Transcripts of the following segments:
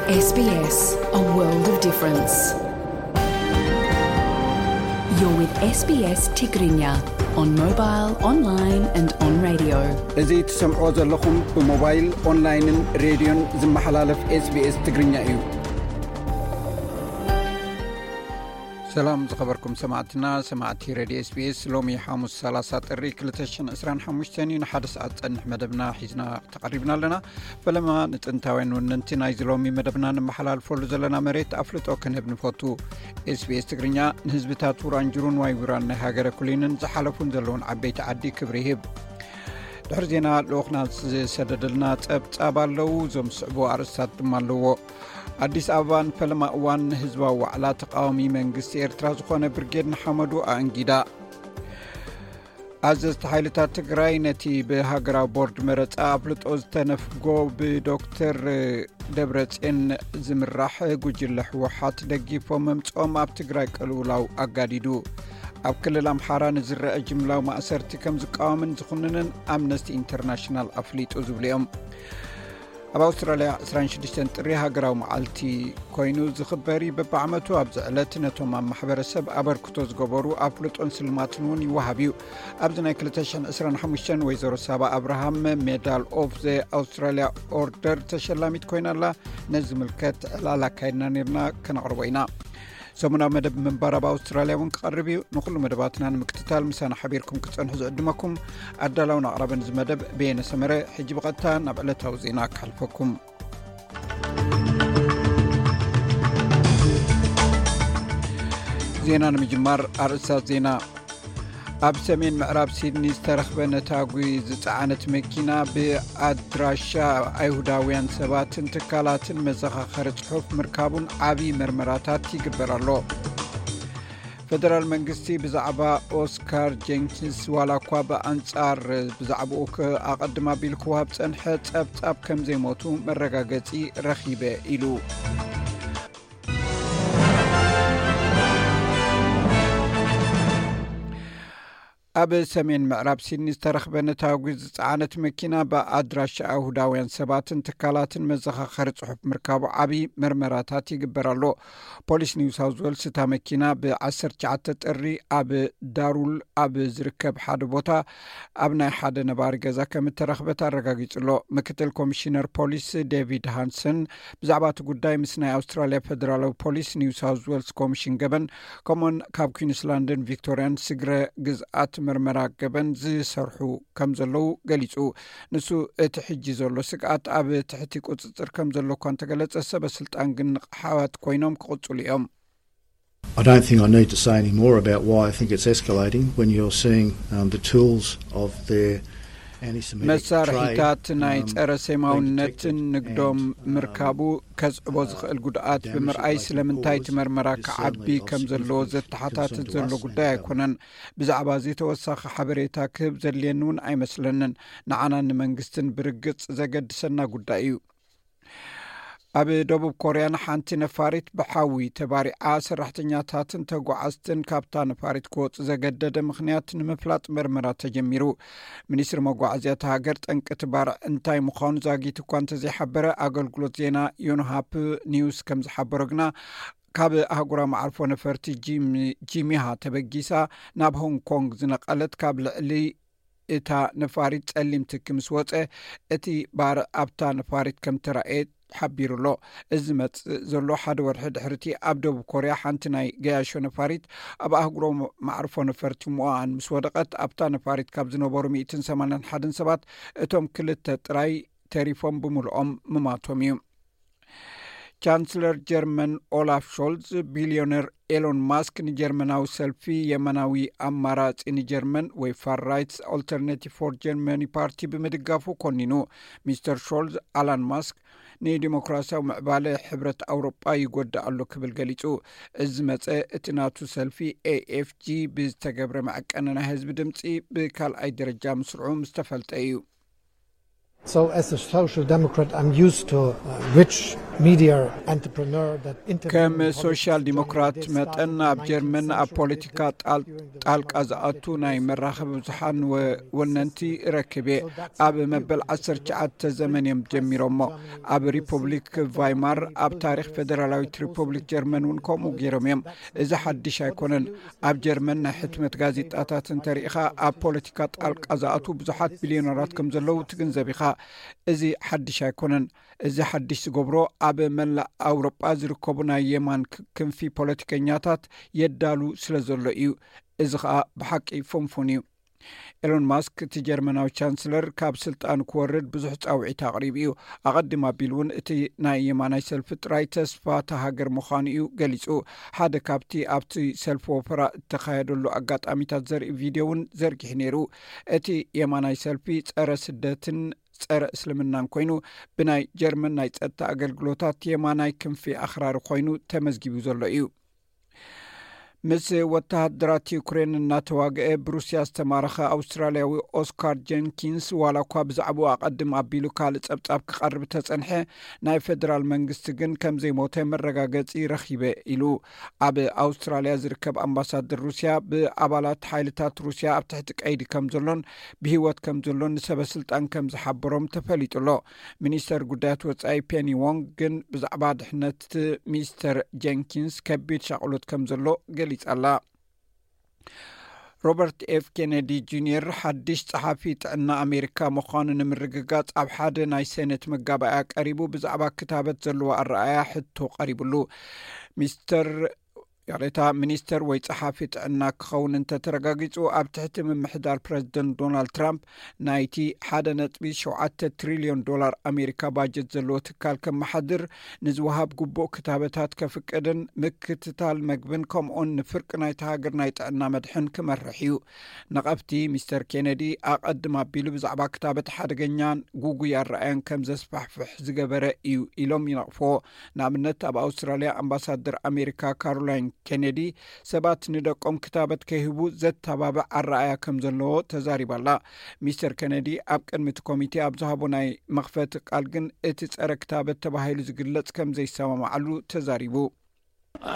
S B S, a world of difference. You're with S B S Tigrinya on mobile, online and on radio. እዚ ትሰምዕዎ ዘለኹም ብሞባይል፣ ኦንላይንን ሬድዮን ዝመሓላለፍ S B S ትግርኛ እዩ። ሰላም ዝኸበርኩም ሰማዕትና፣ ሰማዕቲ ሬድዮ S B S፣ ሎሚ ሓሙስ ሰላሳ ጥሪ ክልተ ሽሕን ዕስራን ሓሙሽተን እዩ። ንሓደ ሰዓት ጸንሕ መደብና ሒዝና ተቐሪብና ኣለና። ፈለማ ንጥንታውያን ወነንቲ ናይዚ ሎሚ መደብና ንመሓላልፈሉ ዘለና መሬት ኣፍልጦ ክንህብ ንፈቱ። S B S ትግርኛ ንህዝብታት ውራንጅሩን ዋይውራን ናይ ሃገረ ኩሊንን ዝሓለፉን ዘለውን ዓበይቲ ዓዲ ክብሪ ይህብ። ድሕሪ ዜና ልኡኽና ዝሰደደልና ጸብጻብ ኣለዉ። እዞም ዝስዕቡ ኣርእስታት ድማ ኣለዎ። ኣዲስ ኣበባ ንፈለማ እዋን ንህዝባዊ ዋዕላ ተቃዋሚ መንግስቲ ኤርትራ ዝኾነ ብርጌድ ንሓመዱ ኣእንጊዳ። ኣዘዝቲ ሓይልታት ትግራይ ነቲ ብሃገራዊ ቦርድ መረጻ ኣፍልጦ ዝተነፍጎ ብዶክተር ደብረጽዮን ዝምራሕ ጉጅለ ህወሓት ደጊፎም ምምጽኦም ኣብ ትግራይ ቅልውላው ኣጋዲዱ። ኣብ ክልል ኣምሓራ ንዝረአ ጅምላዊ ማእሰርቲ ከም ዝቃወምን ዝኹንንን ኣምነስቲ ኢንተርናሽናል ኣፍሊጡ ዝብሉ እዮም። ኣብ ኣውስትራልያ ዕስራን ሽዱሽተን ጥሪ ሃገራዊ መዓልቲ ኮይኑ ዝኽበር እዩ። በብዓመቱ ኣብዚ ዕለት ነቶም ኣብ ማሕበረሰብ ኣበርክቶ ዝገበሩ ኣፍልጦን ስልማትን እውን ይወሃብ እዩ። ኣብዚ ናይ ክልተ ሽሕን ዕስራን ሓሙሽተን ወይዘሮ ሳባ ኣብርሃም ሜዳል ኦፍ ዘ ኣውስትራልያ ኦርደር ተሸላሚት ኮይና ኣላ። ነዚ ዝምልከት ዕላል ኣካይድና ነርና፣ ከነቕርቦ ኢና። ሰሙናዊ መደብ ምንባር ኣብ ኣውስትራልያ እውን ክቐርብ እዩ። ንኹሉ መደባትና ንምክትታል ምሳና ሓቢርኩም ክትጸንሑ ዝዕድመኩም ኣዳላውን ኣቕራብን እዚ መደብ በየነ ሰመረ። ሕጂ ብቐጥታ ናብ ዕለታዊ ዜና ክሓልፈኩም። ዜና ንምጅማር ኣርእስታት ዜና። ኣብ ሰሜን ምዕራብ ሲድኒ ዝተረኽበ ነታጒ ዝጸዓነት መኪና ብኣድራሻ ኣይሁዳውያን ሰባትን ትካላትን መዘኻኸሪ ጽሑፍ ምርካቡን ዓቢ መርመራታት ይግበር ኣሎ። ፈደራል መንግስቲ ብዛዕባ ኦስካር ጀንኪንስ ዋላ እኳ ብኣንጻር ብዛዕባኡ ኣቐድም ኣቢሉ ክወሃብ ጸንሐ ጸብጻብ ከም ዘይሞቱ መረጋገጺ ረኺበ ኢሉ። ኣብ ሰሜን ምዕራብ ሲድኒ ዝተረኽበ ነታጒ ዝጸዓነት መኪና ብኣድራሻ ኣይሁዳውያን ሰባትን ትካላትን መዘኻኸሪ ጽሑፍ ምርካቡ ዓቢ መርመራታት ይግበር ኣሎ። ፖሊስ ኒው ሳውዝ ዌልስ እታ መኪና ብ ዓሰርተ ትሽዓተ ጥሪ ኣብ ዳሩል ኣብ ዝርከብ ሓደ ቦታ ኣብ ናይ ሓደ ነባሪ ገዛ ከም እተረኽበት ኣረጋጊጹ ኣሎ። ምክትል ኮሚሽነር ፖሊስ ዴቪድ ሃንሰን ብዛዕባ እቲ ጉዳይ ምስ ናይ ኣውስትራልያ ፈደራላዊ ፖሊስ፣ ኒው ሳውዝ ዌልስ ኮሚሽን ገበን፣ ከምኡውን ካብ ኩዊንስላንድን ቪክቶሪያን ስግረ ግዝኣት ምርመራ ገበን ዝሰርሑ ከም ዘለዉ ገሊጹ። ንሱ እቲ ሕጂ ዘሎ ስግኣት ኣብ ትሕቲ ቁጽጽር ከም ዘሎ እኳ እንተገለጸ፣ ሰበ ስልጣን ግን ንቕሓት ኮይኖም ክቕጽሉ እዮም። I don't think I need to say any more about why I think it's escalating when you're seeing um, the tools of their anti-Semitic trade. መሳርሒታት ናይ ጸረ ሴማውነትን ንግዶም ምርካቡ ከስዕቦ ዝኽእል ጉድኣት ብምርኣይ ስለምንታይ እቲ መርመራ ክዓቢ ከም ዘለዎ ዘተሓታትት ዘሎ ጉዳይ ኣይኮነን። ብዛዕባ እዚ ተወሳኺ ሓበሬታ ክህብ ዘድልየኒ እውን ኣይመስለንን። ንዓናን ንመንግስትን ብርግጽ ዘገድሰና ጉዳይ እዩ። ኣብ ደቡብ ኮርያ ንሓንቲ ነፋሪት ብሓዊ ተባሪዓ ሰራሕተኛታትን ተጓዓዝትን ካብታ ነፋሪት ክወፁ ዘገደደ ምኽንያት ንምፍላጥ መርመራ ተጀሚሩ። ሚኒስትሪ መጓዓዝያ እታ ሃገር ጠንቂ እቲ ባርዕ እንታይ ምዃኑ ዛጊት እኳ እንተዘይሓበረ፣ ኣገልግሎት ዜና ዮንሃፕ ኒውስ ከም ዝሓበሮ ግና ካብ ኣህጉራዊ መዓርፎ ነፈርቲ ጂሚሃ ተበጊሳ ናብ ሆንግ ኮንግ ዝነቐለት ካብ ልዕሊ እታ ነፋሪት ጸሊም ትኪ ምስ ወጸ፣ እቲ ባርዕ ኣብታ ነፋሪት ከም ተራእየ ሓቢሩ ኣሎ። እዚ ዝመጽእ ዘሎ ሓደ ወርሒ ድሕሪቲ ኣብ ደቡብ ኮርያ ሓንቲ ናይ ገያሾ ነፋሪት ኣብ ኣህጉራዊ መዕርፎ ነፈርቲ ሙኦኣን ምስ ወደቐት፣ ኣብታ ነፋሪት ካብ ዝነበሩ ሚእትን ሰማንያን ሓደን ሰባት እቶም ክልተ ጥራይ ተሪፎም ብምልኦም ምማቶም እዩ። ቻንስለር ጀርመን ኦላፍ ሾልዝ፣ ቢልዮነር ኤሎን ማስክ ንጀርመናዊ ሰልፊ የማናዊ ኣማራጺ ንጀርመን ወይ ፋር ራይትስ ኣልተርናቲቭ ፎር ጀርመኒ ፓርቲ ብምድጋፉ ኮኒኑ። ሚስተር ሾልዝ፣ ኣላን ማስክ ንዲሞክራሲያዊ ምዕባለ ሕብረት ኣውሮጳ ይጎድእ ኣሎ ክብል ገሊጹ። እዚ ዝመጸ እቲ ናቱ ሰልፊ ኤኤፍጂ ብዝተገብረ መዐቀኒ ናይ ህዝቢ ድምጺ ብካልኣይ ደረጃ ምስርዑ ምስ ተፈልጠ እዩ። So, as a social democrat, I'm used to uh, rich media entrepreneur that intervened ከም in politics ሶሻል in ዲሞክራት Germany mጠን ኣብ ጀርመን ኣብ ፖለቲካ ጣል- ጣልቃ ዝኣቱ ናይ መራኸቢ ብዙሓን ወ- ወነንቲ ረክብ እየ። ኣብ መበል ዓሰርተ ትሽዓተ ዘመን እዮም ጀሚሮሞ። ኣብ ሪፑብሊክ ቫይማር ኣብ ታሪክ ፌደራላዊት ሪፑብሊክ ጀርመን እውን ከምኡ ገይሮም እዮም። እዚ ሓድሽ ኣይኮነን። ኣብ ጀርመን ናይ ሕትመት ጋዜጣታት እንተርኢኻ ኣብ ፖለቲካ ጣልቃ ዝኣቱ ብዙሓት ቢልዮነራት ከም ዘለዉ ትግንዘብ ኢኻ። እዚ ሓድሽ ኣይኮነን። እዚ ሓድሽ ዝገብሮ ኣብ መላእ ኣውሮጳ ዝርከቡ ናይ የማን ክንፊ ፖለቲከኛታት የዳሉ ስለ ዘሎ እዩ። እዚ ኸኣ ብሓቂ ፍንፉን እዩ። ኤሎን ማስክ እቲ ጀርመናዊ ቻንስለር ካብ ስልጣን ክወርድ ብዙሕ ጻውዒት ኣቕሪቡ እዩ። ኣቐድም ኣቢሉ እውን እቲ ናይ የማናይ ሰልፊ ጥራይ ተስፋ ተሃገር ምዃኑ እዩ ገሊጹ። ሓደ ካብቲ ኣብቲ ሰልፊ ወፈራ እተኻየደሉ ኣጋጣሚታት ዘርኢ ቪድዮ እውን ዘርጊሑ ነይሩ። እቲ የማናይ ሰልፊ ጸረ ስደትን ጸረ እስልምናን ኮይኑ ብናይ ጀርመን ናይ ጸጥታ ኣገልግሎታት የማናይ ክንፊ ኣኽራሪ ኮይኑ ተመዝጊቡ ዘሎ እዩ። ምስ ወተሃደራት ዩክሬን እናተዋግአ ብሩስያ ዝተማረኸ ኣውስትራልያዊ ኦስካር ጀንኪንስ ዋላ እኳ ብዛዕባኡ ኣቐድም ኣቢሉ ካልእ ጸብጻብ ክቐርብ ተጸንሐ፣ ናይ ፌደራል መንግስቲ ግን ከም ዘይሞተ መረጋገጺ ረኺበ ኢሉ። ኣብ ኣውስትራልያ ዝርከብ ኣምባሳደር ሩስያ ብኣባላት ሓይልታት ሩስያ ኣብ ትሕቲ ቀይዲ ከም ዘሎን ብህይወት ከም ዘሎን ንሰበ ስልጣን ከም ዝሓበሮም ተፈሊጡ ኣሎ። ሚኒስተር ጉዳያት ወጻኢ ፔኒ ዎንግ ግን ብዛዕባ ድሕነት ሚስተር ጀንኪንስ ከቢድ ሻቕሎት ከም ዘሎ ገሊጻ ኣላ። ሮበርት ኤፍ ኬነዲ ጁኒየር ሓድሽ ጸሓፊ ጥዕና ኣሜሪካ ምዃኑ ንምርግጋጽ ኣብ ሓደ ናይ ሴኔት መጋባእያ ቀሪቡ ብዛዕባ ክታበት ዘለዎ ኣረኣያ ሕቶ ቀሪብሉ። ሚስተር ይቕሬታ፣ ሚኒስተር ወይ ጸሓፊ ጥዕና ክኸውን እንተተረጋጊጹ ኣብ ትሕቲ ምምሕዳር ፕረዚደንት ዶናልድ ትራምፕ ናይቲ ሓደ ነጥቢ ሸውዓተ ትሪልዮን ዶላር ኣሜሪካ ባጀት ዘለዎ ትካል ከመሓድር፣ ንዝወሃብ ግቡእ ክታበታት ከፍቅድን ምክትታል መግብን ከምኡን ንፍርቂ ናይቲ ሃገር ናይ ጥዕና መድሕን ክመርሕ እዩ። ነቐፍቲ ሚስተር ኬነዲ ኣቐድም ኣቢሉ ብዛዕባ ክታበት ሓደገኛን ጉጉይ ኣረኣያን ከም ዘስፋሕፍሕ ዝገበረ እዩ ኢሎም ይነቕፍዎ። ንኣብነት ኣብ ኣውስትራልያ ኣምባሳደር ኣሜሪካ ካሮላይን ኬነዲ ሰባት ንደቆም ክታበት ከይህቡ ዘተባብዕ ኣረኣያ ከም ዘለዎ ተዛሪባ ኣላ። ሚስተር ኬነዲ ኣብ ቅድሚ እቲ ኮሚቴ ኣብ ዝሃቦ ናይ መኽፈቲ ቃል ግን እቲ ጸረ ክታበት ተባሂሉ ዝግለጽ ከም ዘይሰማማዓሉ ተዛሪቡ።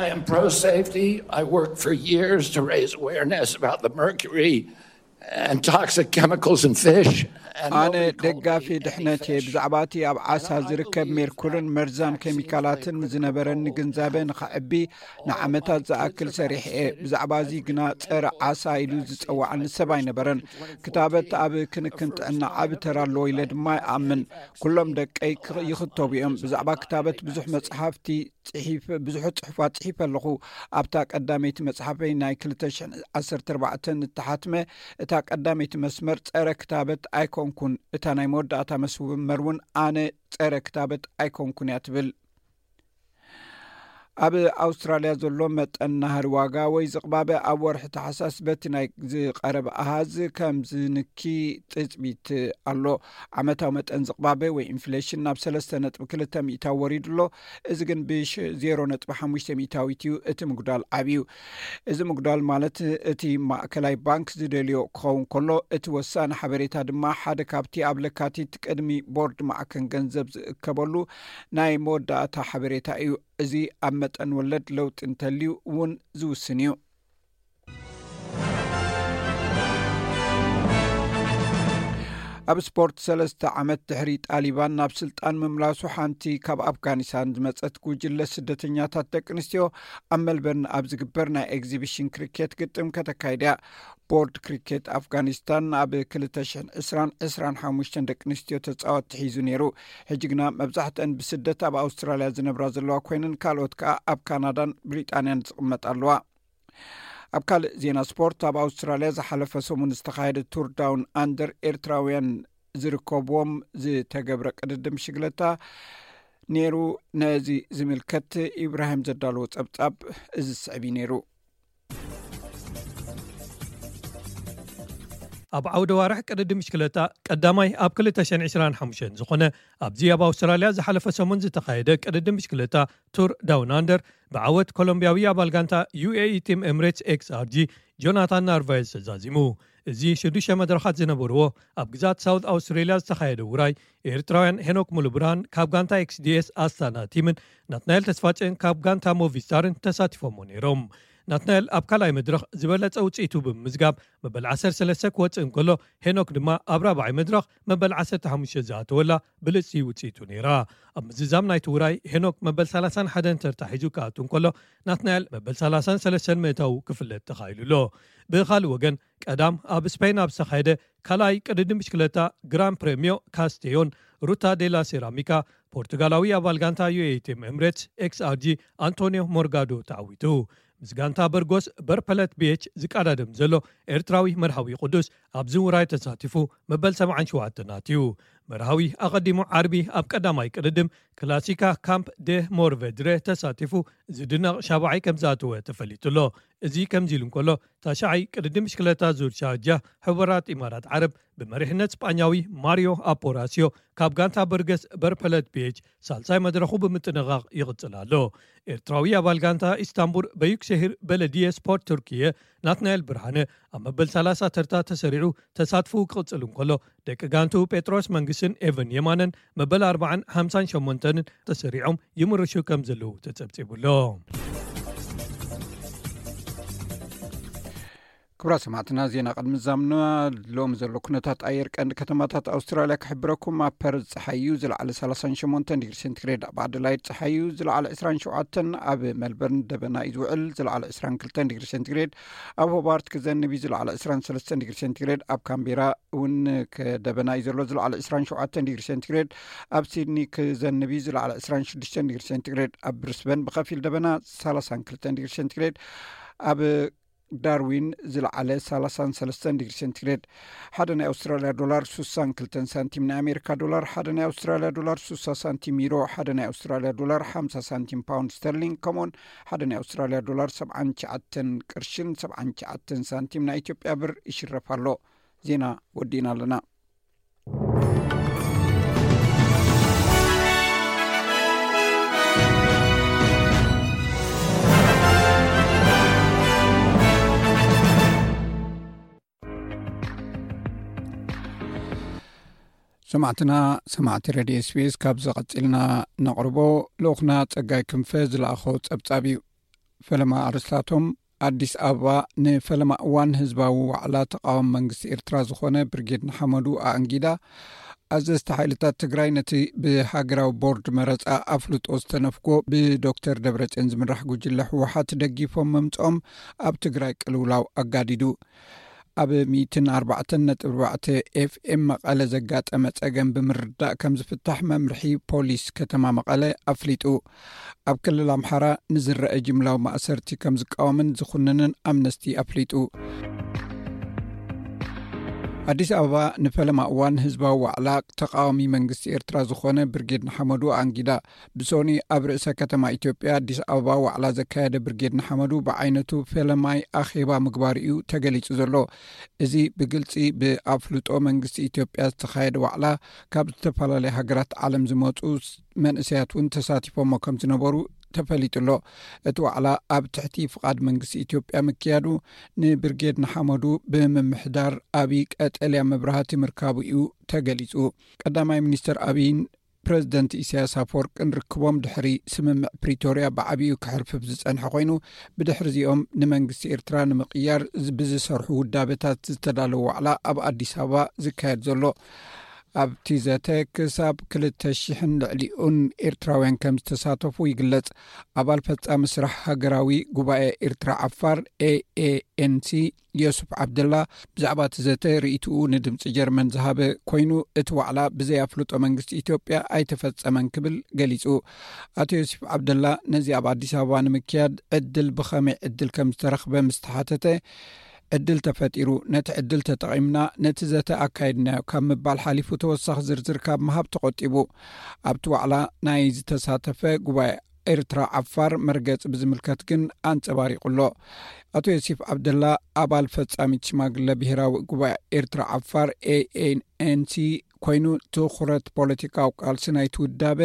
I am pro safety. I worked for years to raise awareness about the mercury and toxic chemicals in fish. And ኣነ ደጋፊ ድሕነት እየ። ብዛዕባ እቲ ኣብ ዓሳ ዝርከብ ሜርኩርን መርዛም ኬሚካላትን ዝነበረኒ ግንዛበ ንኸዕቢ ንዓመታት ዝኣክል ሰሪሕ እየ። ብዛዕባ እዚ ግና ጸረ ዓሳ ኢሉ ዝጸዋዓኒ ሰብ ኣይነበረን። ክታበት ኣብ ክንክን ጥዕና ዓቢ ተራ ኣለዎ ኢለ ድማ ይኣምን። ኩሎም ደቀይ ይኽተቡ እዮም። ብዛዕባ ክታበት ብዙሕ መጽሓፍቲ ጽሒፍ ብዙሕ ጽሑፋት ጽሒፈ ኣለኹ። ኣብታ ቀዳመይቲ መጽሓፈይ ናይ ክልተ ሽሕን ዓሰርተ ኣርባዕተን እተሓትመ እታ ቀዳመይቲ መስመር ጸረ ክታበት ኣይኮንኩን፣ እታ ናይ መወዳእታ መስመር እውን ኣነ ጸረ ክታበት ኣይኮንኩን እያ ትብል። ኣብ ኣውስትራልያ ዘሎ መጠን ናህሪ ዋጋ ወይ ዝቕባበ ኣብ ወርሒ ታሕሳስ በቲ ናይ ዝቐረበ ኣሃዝ ከም ዝንኪ ትጽቢት ኣሎ። ዓመታዊ መጠን ዝቕባበ ወይ ኢንፍሌሽን ናብ ሰለስተ ነጥቢ ክልተ ሚእታዊ ወሪዱ ኣሎ። እዚ ግን ብ ዜሮ ነጥቢ ሓሙሽተ ሚእታዊት እዩ። እቲ ምጉዳል ዓብዩ። እዚ ምጉዳል ማለት እቲ ማእከላይ ባንክ ዝደልዮ ክኸውን ከሎ፣ እቲ ወሳኒ ሓበሬታ ድማ ሓደ ካብቲ ኣብ ለካቲት ቅድሚ ቦርድ ማዕከን ገንዘብ ዝእከበሉ ናይ መወዳእታ ሓበሬታ እዩ። እዚ ኣብ መጠን ወለድ ለውጢ እንተልዩ እውን ዝውስን እዩ። ኣብ ስፖርት፣ ሰለስተ ዓመት ድሕሪ ጣሊባን ናብ ስልጣን ምምላሱ፣ ሓንቲ ካብ ኣፍጋኒስታን ዝመጸት ጉጅለ ስደተኛታት ደቂ ኣንስትዮ ኣብ መልበርን ኣብ ዝግበር ናይ ኤግዚቢሽን ክሪኬት ግጥም ከተካይድ እያ። ቦርድ ክሪኬት ኣፍጋኒስታን ኣብ ክልተ ሽሕን ዕስራን ዕስራን ሓሙሽተን ደቂ ኣንስትዮ ተጻወትቲ ሒዙ ነይሩ። ሕጂ ግና መብዛሕትአን ብስደት ኣብ ኣውስትራልያ ዝነብራ ዘለዋ ኮይነን፣ ካልኦት ከኣ ኣብ ካናዳን ብሪጣንያን ዝቕመጣ ኣለዋ። ኣብ ካልእ ዜና ስፖርት፣ ኣብ ኣውስትራልያ ዝሓለፈ ሰሙን ዝተኻየደ ቱር ዳውን ኣንደር ኤርትራውያን ዝርከብዎም ዝተገብረ ቅድድም ሽግለታ ነይሩ። ነዚ ዝምልከት ኢብራሂም ዘዳለዎ ጸብጻብ እዚ ዝስዕብ እዩ ነይሩ። ኣብ ዓውደ ዋርሕ ቅድድም ብሽክለታ ቀዳማይ ኣብ ክልተ ሽሕን ዕስራን ሓሙሽተን ዝኾነ ኣብዚ ኣብ ኣውስትራልያ ዝሓለፈ ሰሙን ዝተኻየደ ቅድድም ብሽክለታ ቱር ዳውን ኣንደር ብዓወት ኮሎምቢያዊ ኣባል ጋንታ ዩ ኤ ኢ ቲም ኤምሬትስ ኤክስ ኣር ጂ ጆናታን ናርቫዝ ተዛዚሙ። እዚ ሽዱሽተ መድረኻት ዝነበርዎ ኣብ ግዛት ሳውት ኣውስትሬልያ ዝተኻየደ ውራይ፣ ኤርትራውያን ሄኖክ ሙሉብርሃን ካብ ጋንታ ኤክስዲኤስ ኣስታና ቲምን ናትናኤል ተስፋጨን ካብ ጋንታ ሞቪስታርን ተሳቲፎሞ ነይሮም። ናትናኤል ኣብ ካልኣይ መድረኽ ዝበለጸ ውጽኢቱ ብምምዝጋብ መበል ዓሰርተ ሰለስተ ክወጽእ እንከሎ፣ ሄኖክ ድማ ኣብ ራብዓይ መድረኽ መበል ዓሰርተ ሓሙሽተ ዝኣተወላ ብልጽቲ ውጽኢቱ ነይራ። ኣብ ምዝዛም ናይቲ ውራይ ሄኖክ መበል ሰላሳን ሓደን ተርታ ሒዙ ክኣቱ እንከሎ፣ ናትናኤል መበል ሰላሳን ሰለስተን ምእታው ክፍለጥ ተኻኢሉ ኣሎ። ብኻልእ ወገን፣ ቀዳም ኣብ ስፔን ኣብ ዝተኻየደ ካልኣይ ቅድድም ብሽክለታ ግራን ፕሬምዮ ካስቴዮን፣ ሩታ ዴላ ሴራሚካ፣ ፖርቱጋላዊ ኣባል ጋንታ ዩኤቲኤም ኤምሬትስ ኤክስኣርጂ ኣንቶኒዮ ሞርጋዶ ተዓዊቱ። ምስ ጋንታ በርጎስ በርፐለት ቢኤች ዝቀዳደም ዘሎ ኤርትራዊ መርሃዊ ቅዱስ ኣብዚ ውራይ ተሳቲፉ መበል ሰብዓን ሸውዓተን ኣትዩ። መርሃዊ ኣቐዲሙ ዓርቢ ኣብ ቀዳማይ ቅድድም ክላሲካ ካምፕ ደ ሞርቬድረ ተሳቲፉ ዝድነቕ ሻብዓይ ከም ዝኣተወ ተፈሊጡ ኣሎ። እዚ ከምዚ ኢሉ እንከሎ፣ ታሽዓይ ቅድድም ብሽክለታ ዙር ሻርጃ ሕቡራት ኢማራት ዓረብ ብመሪሕነት ስጳኛዊ ማሪዮ ኣፖራሲዮ ካብ ጋንታ በርገስ በርፐለት ቢኤች ሳልሳይ መድረኹ ብምጥንቓቕ ይቕጽል ኣሎ። ኤርትራዊ ኣባል ጋንታ ኢስታንቡል በዩክሸሂር በለድየ ስፖርት ቱርክየ ናትናኤል ብርሃነ ኣብ መበል ሰላሳ ተርታ ተሰሪዑ ተሳትፎኡ ክቕጽል እንከሎ፣ ደቂ ጋንቱ ጴጥሮስ መንግስትን ኤቨን የማነን መበል ኣርባዓን ሓምሳን ሸሞንተንን ተሰሪዖም ይምርሹ ከም ዘለዉ ተጸብጺቡ ኣሎ። ክቡራት ሰማዕትና፣ ዜና ቅድሚ ዛምና ሎሚ ዘሎ ኩነታት ኣየር ቀንዲ ከተማታት ኣውስትራልያ ክሕብረኩም። ኣብ ፐርዝ ጸሓይ እዩ፣ ዝለዓለ ሰላሳን ሸሞንተን ዲግሪ ሴንቲግሬድ፣ ኣብ ኣደላይድ ጸሓይ እዩ፣ ዝለዓለ ዕስራን ሸውዓተን፣ ኣብ ሜልበርን ደበና እዩ ዝውዕል፣ ዝለዓለ ዕስራን ክልተን ዲግሪ ሴንቲግሬድ፣ ኣብ ሆባርት ክዘንብ እዩ፣ ዝለዓለ ዕስራን ሰለስተን ዲግሪ ሴንቲግሬድ፣ ኣብ ካምቤራ እውን ከ-፣ ደበና እዩ ዘሎ፣ ዝለዓለ ዕስራን ሸውዓተን ዲግሪ ሴንቲግሬድ፣ ኣብ ሲድኒ ክዘንብ እዩ፣ ዝለዓለ ዕስራን ሽዱሽተን ዲግሪ ሴንቲግሬድ፣ ኣብ ብሪስበን ብኸፊል ደበና፣ ሰላሳን ክልተን ዲግሪ ሴንቲግሬድ፣ ኣብ ዳርዊን ዝለዓለ ሰላሳን ሰለስተን ዲግሪ ሴንቲግሬድ። ሓደ ናይ ኣውስትራልያ ዶላር ሱሳን ክልተን ሳንቲም፣ ናይ ኣሜሪካ ዶላር ሓደ ናይ ኣውስትራልያ ዶላር ሱሳ ሳንቲም፣ ዩሮ ሓደ ናይ ኣውስትራልያ ዶላር ሓምሳ ሳንቲም፣ ፓውንድ ስተርሊንግ ከምኡውን ሓደ ናይ ኣውስትራልያ ዶላር ሰብዓን ትሽዓተን ቅርሽን ሰብዓን ትሽዓተን ሳንቲም ናይ ኢትዮጵያ ብር ይሽረፍ ኣሎ። ዜና ወዲእና ኣለና። ሰማዕትና፣ ሰማዕቲ ሬድዮ ኤስቢኤስ፣ ካብ ዝቐጺልና ነቕርቦ ልኡኽና ጸጋይ ክንፈ ዝለኣኾ ጸብጻብ እዩ። ፈለማ ኣርስታቶም። ኣዲስ ኣበባ፣ ንፈለማ እዋን ህዝባዊ ዋዕላ ተቓዋሚ መንግስቲ ኤርትራ ዝኾነ ብርጌድ ንሓመዱ ኣኣንጊዳ፣ ኣዘዝቲ ሓይልታት ትግራይ ነቲ ብሃገራዊ ቦርድ መረጻ ኣፍልጦ ዝተነፍጎ ብዶክተር ደብረጽዮን ዝምራሕ ጉጅለ ህወሓት ደጊፎም ምምጽኦም ኣብ ትግራይ ቅልውላው ኣጋዲዱ። ኣብ ሚእትን ኣርባዕተን ነጥቢ ኣርባዕተ ኤፍኤም መቐለ ዘጋጠመ ጸገም ብምርዳእ ከም ዝፍታሕ መምርሒ ፖሊስ ከተማ መቐለ ኣፍሊጡ። ኣብ ክልል ኣምሓራ ንዝረአ ጅምላዊ ማእሰርቲ ከም ዝቃወምን ዝኹንንን ኣምነስቲ ኣፍሊጡ። ኣዲስ ኣበባ፣ ንፈለማ እዋን ህዝባዊ ዋዕላ ተቃዋሚ መንግስቲ ኤርትራ ዝኾነ ብርጌድ ንሓመዱ ኣንጊዳ። ብሶኒ ኣብ ርእሰ ከተማ ኢትዮጵያ ኣዲስ ኣበባ ዋዕላ ዘካየደ ብርጌድ ንሓመዱ ብዓይነቱ ፈለማይ ኣኼባ ምግባሩ እዩ ተገሊጹ ዘሎ። እዚ ብግልጺ ብኣፍልጦ መንግስቲ ኢትዮጵያ ዝተኻየደ ዋዕላ፣ ካብ ዝተፈላለያ ሃገራት ዓለም ዝመጹ መንእሰያት እውን ተሳቲፎሞ ከም ዝነበሩ ተፈሊጡ ኣሎ። እቲ ዋዕላ ኣብ ትሕቲ ፍቓድ መንግስቲ ኢትዮጵያ ምክያዱ፣ ንብርጌድ ንሓመዱ ብምምሕዳር ኣብይ ቀጠልያ መብራህቲ ምርካቡ እዩ ተገሊጹ። ቀዳማይ ሚኒስተር ኣብይን ፕረዚደንት ኢሳያስ ኣፈወርቅን ርክቦም ድሕሪ ስምምዕ ፕሪቶርያ ብዓቢኡ ክሕርፍፍ ዝጸንሐ ኮይኑ፣ ብድሕሪዚኦም ንመንግስቲ ኤርትራ ንምቕያር ዝ-፣ ብዝሰርሑ ውዳበታት ዝተዳለወ ዋዕላ ኣብ ኣዲስ ኣበባ ዝካየድ ዘሎ። ኣብቲ ዘተ ክሳብ ክልተ ሽሕን ልዕሊኡን ኤርትራውያን ከም ዝተሳተፉ ይግለጽ። ኣባል ፈጻሚ ስራሕ ሃገራዊ ጉባኤ ኤርትራ ዓፋር፣ ኤኤኤንሲ፣ ዮሱፍ ዓብደላ ብዛዕባ እቲ ዘተ ርእይትኡ ንድምጺ ጀርመን ዝሃበ ኮይኑ፣ እቲ ዋዕላ ብዘይ ኣፍልጦ መንግስቲ ኢትዮጵያ ኣይተፈጸመን ክብል ገሊጹ። ኣቶ ዮሱፍ ዓብደላ ነዚ ኣብ ኣዲስ ኣበባ ንምክያድ ዕድል ብኸመይ ዕድል ከም ዝተረኽበ ምስ ተሓተተ፣ ዕድል ተፈጢሩ፣ ነቲ ዕድል ተጠቒምና ነቲ ዘተ ኣካይድናዮ ካብ ምባል ሓሊፉ ተወሳኺ ዝርዝር ካብ ምሃብ ተቖጢቡ። ኣብቲ ዋዕላ ናይ ዝተሳተፈ ጉባኤ ኤርትራ ዓፋር መርገጺ ብዝምልከት ግን ኣንጸባሪቑ ኣሎ። ኣቶ ዮሲፍ ዓብደላ፣ ኣባል ፈጻሚት ሽማግለ ብሄራዊ ጉባኤ ኤርትራ ዓፋር ኤኤንሲ ኮይኑ፣ ትኹረት ፖለቲካዊ ቃልሲ ናይቲ ውዳበ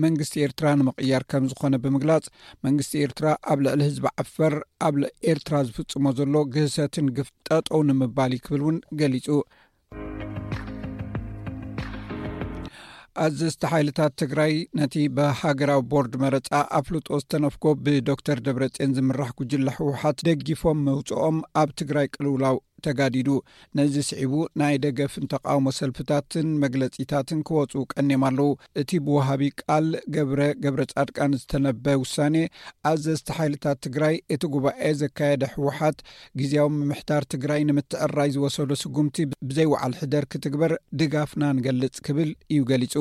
መንግስቲ ኤርትራ ንምቕያር ከም ዝኾነ ብምግላጽ፣ መንግስቲ ኤርትራ ኣብ ልዕሊ ህዝቢ ዓፈር ኣብ ኤርትራ ዝፍጽሞ ዘሎ ግህሰትን ግፍ ጠጠው ንምባል እዩ ክብል እውን ገሊጹ። ኣዘዝቲ ሓይልታት ትግራይ ነቲ ብሃገራዊ ቦርድ መረጻ ኣፍልጦ ዝተነፍጎ ብዶክተር ደብረጽዮን ዝምራሕ ጉጅለ ህወሓት ደጊፎም መውፅኦም ኣብ ትግራይ ቅልውላው ተጋዲዱ። ነዚ ስዒቡ ናይ ደገፍን ተቃውሞ ሰልፍታትን መግለጺታትን ክወፁ ቀኒዮም ኣለዉ። እቲ ብወሃቢ ቃል ገብረ ገብረ ጻድቃን ዝተነበ ውሳኔ ኣዘዝቲ ሓይልታት ትግራይ እቲ ጉባኤ ዘካየደ ህወሓት ግዜያዊ ምምሕዳር ትግራይ ንምትዕራይ ዝወሰዶ ስጉምቲ ብዘይወዓል ሕደር ክትግበር ድጋፍና ንገልጽ ክብል እዩ ገሊጹ።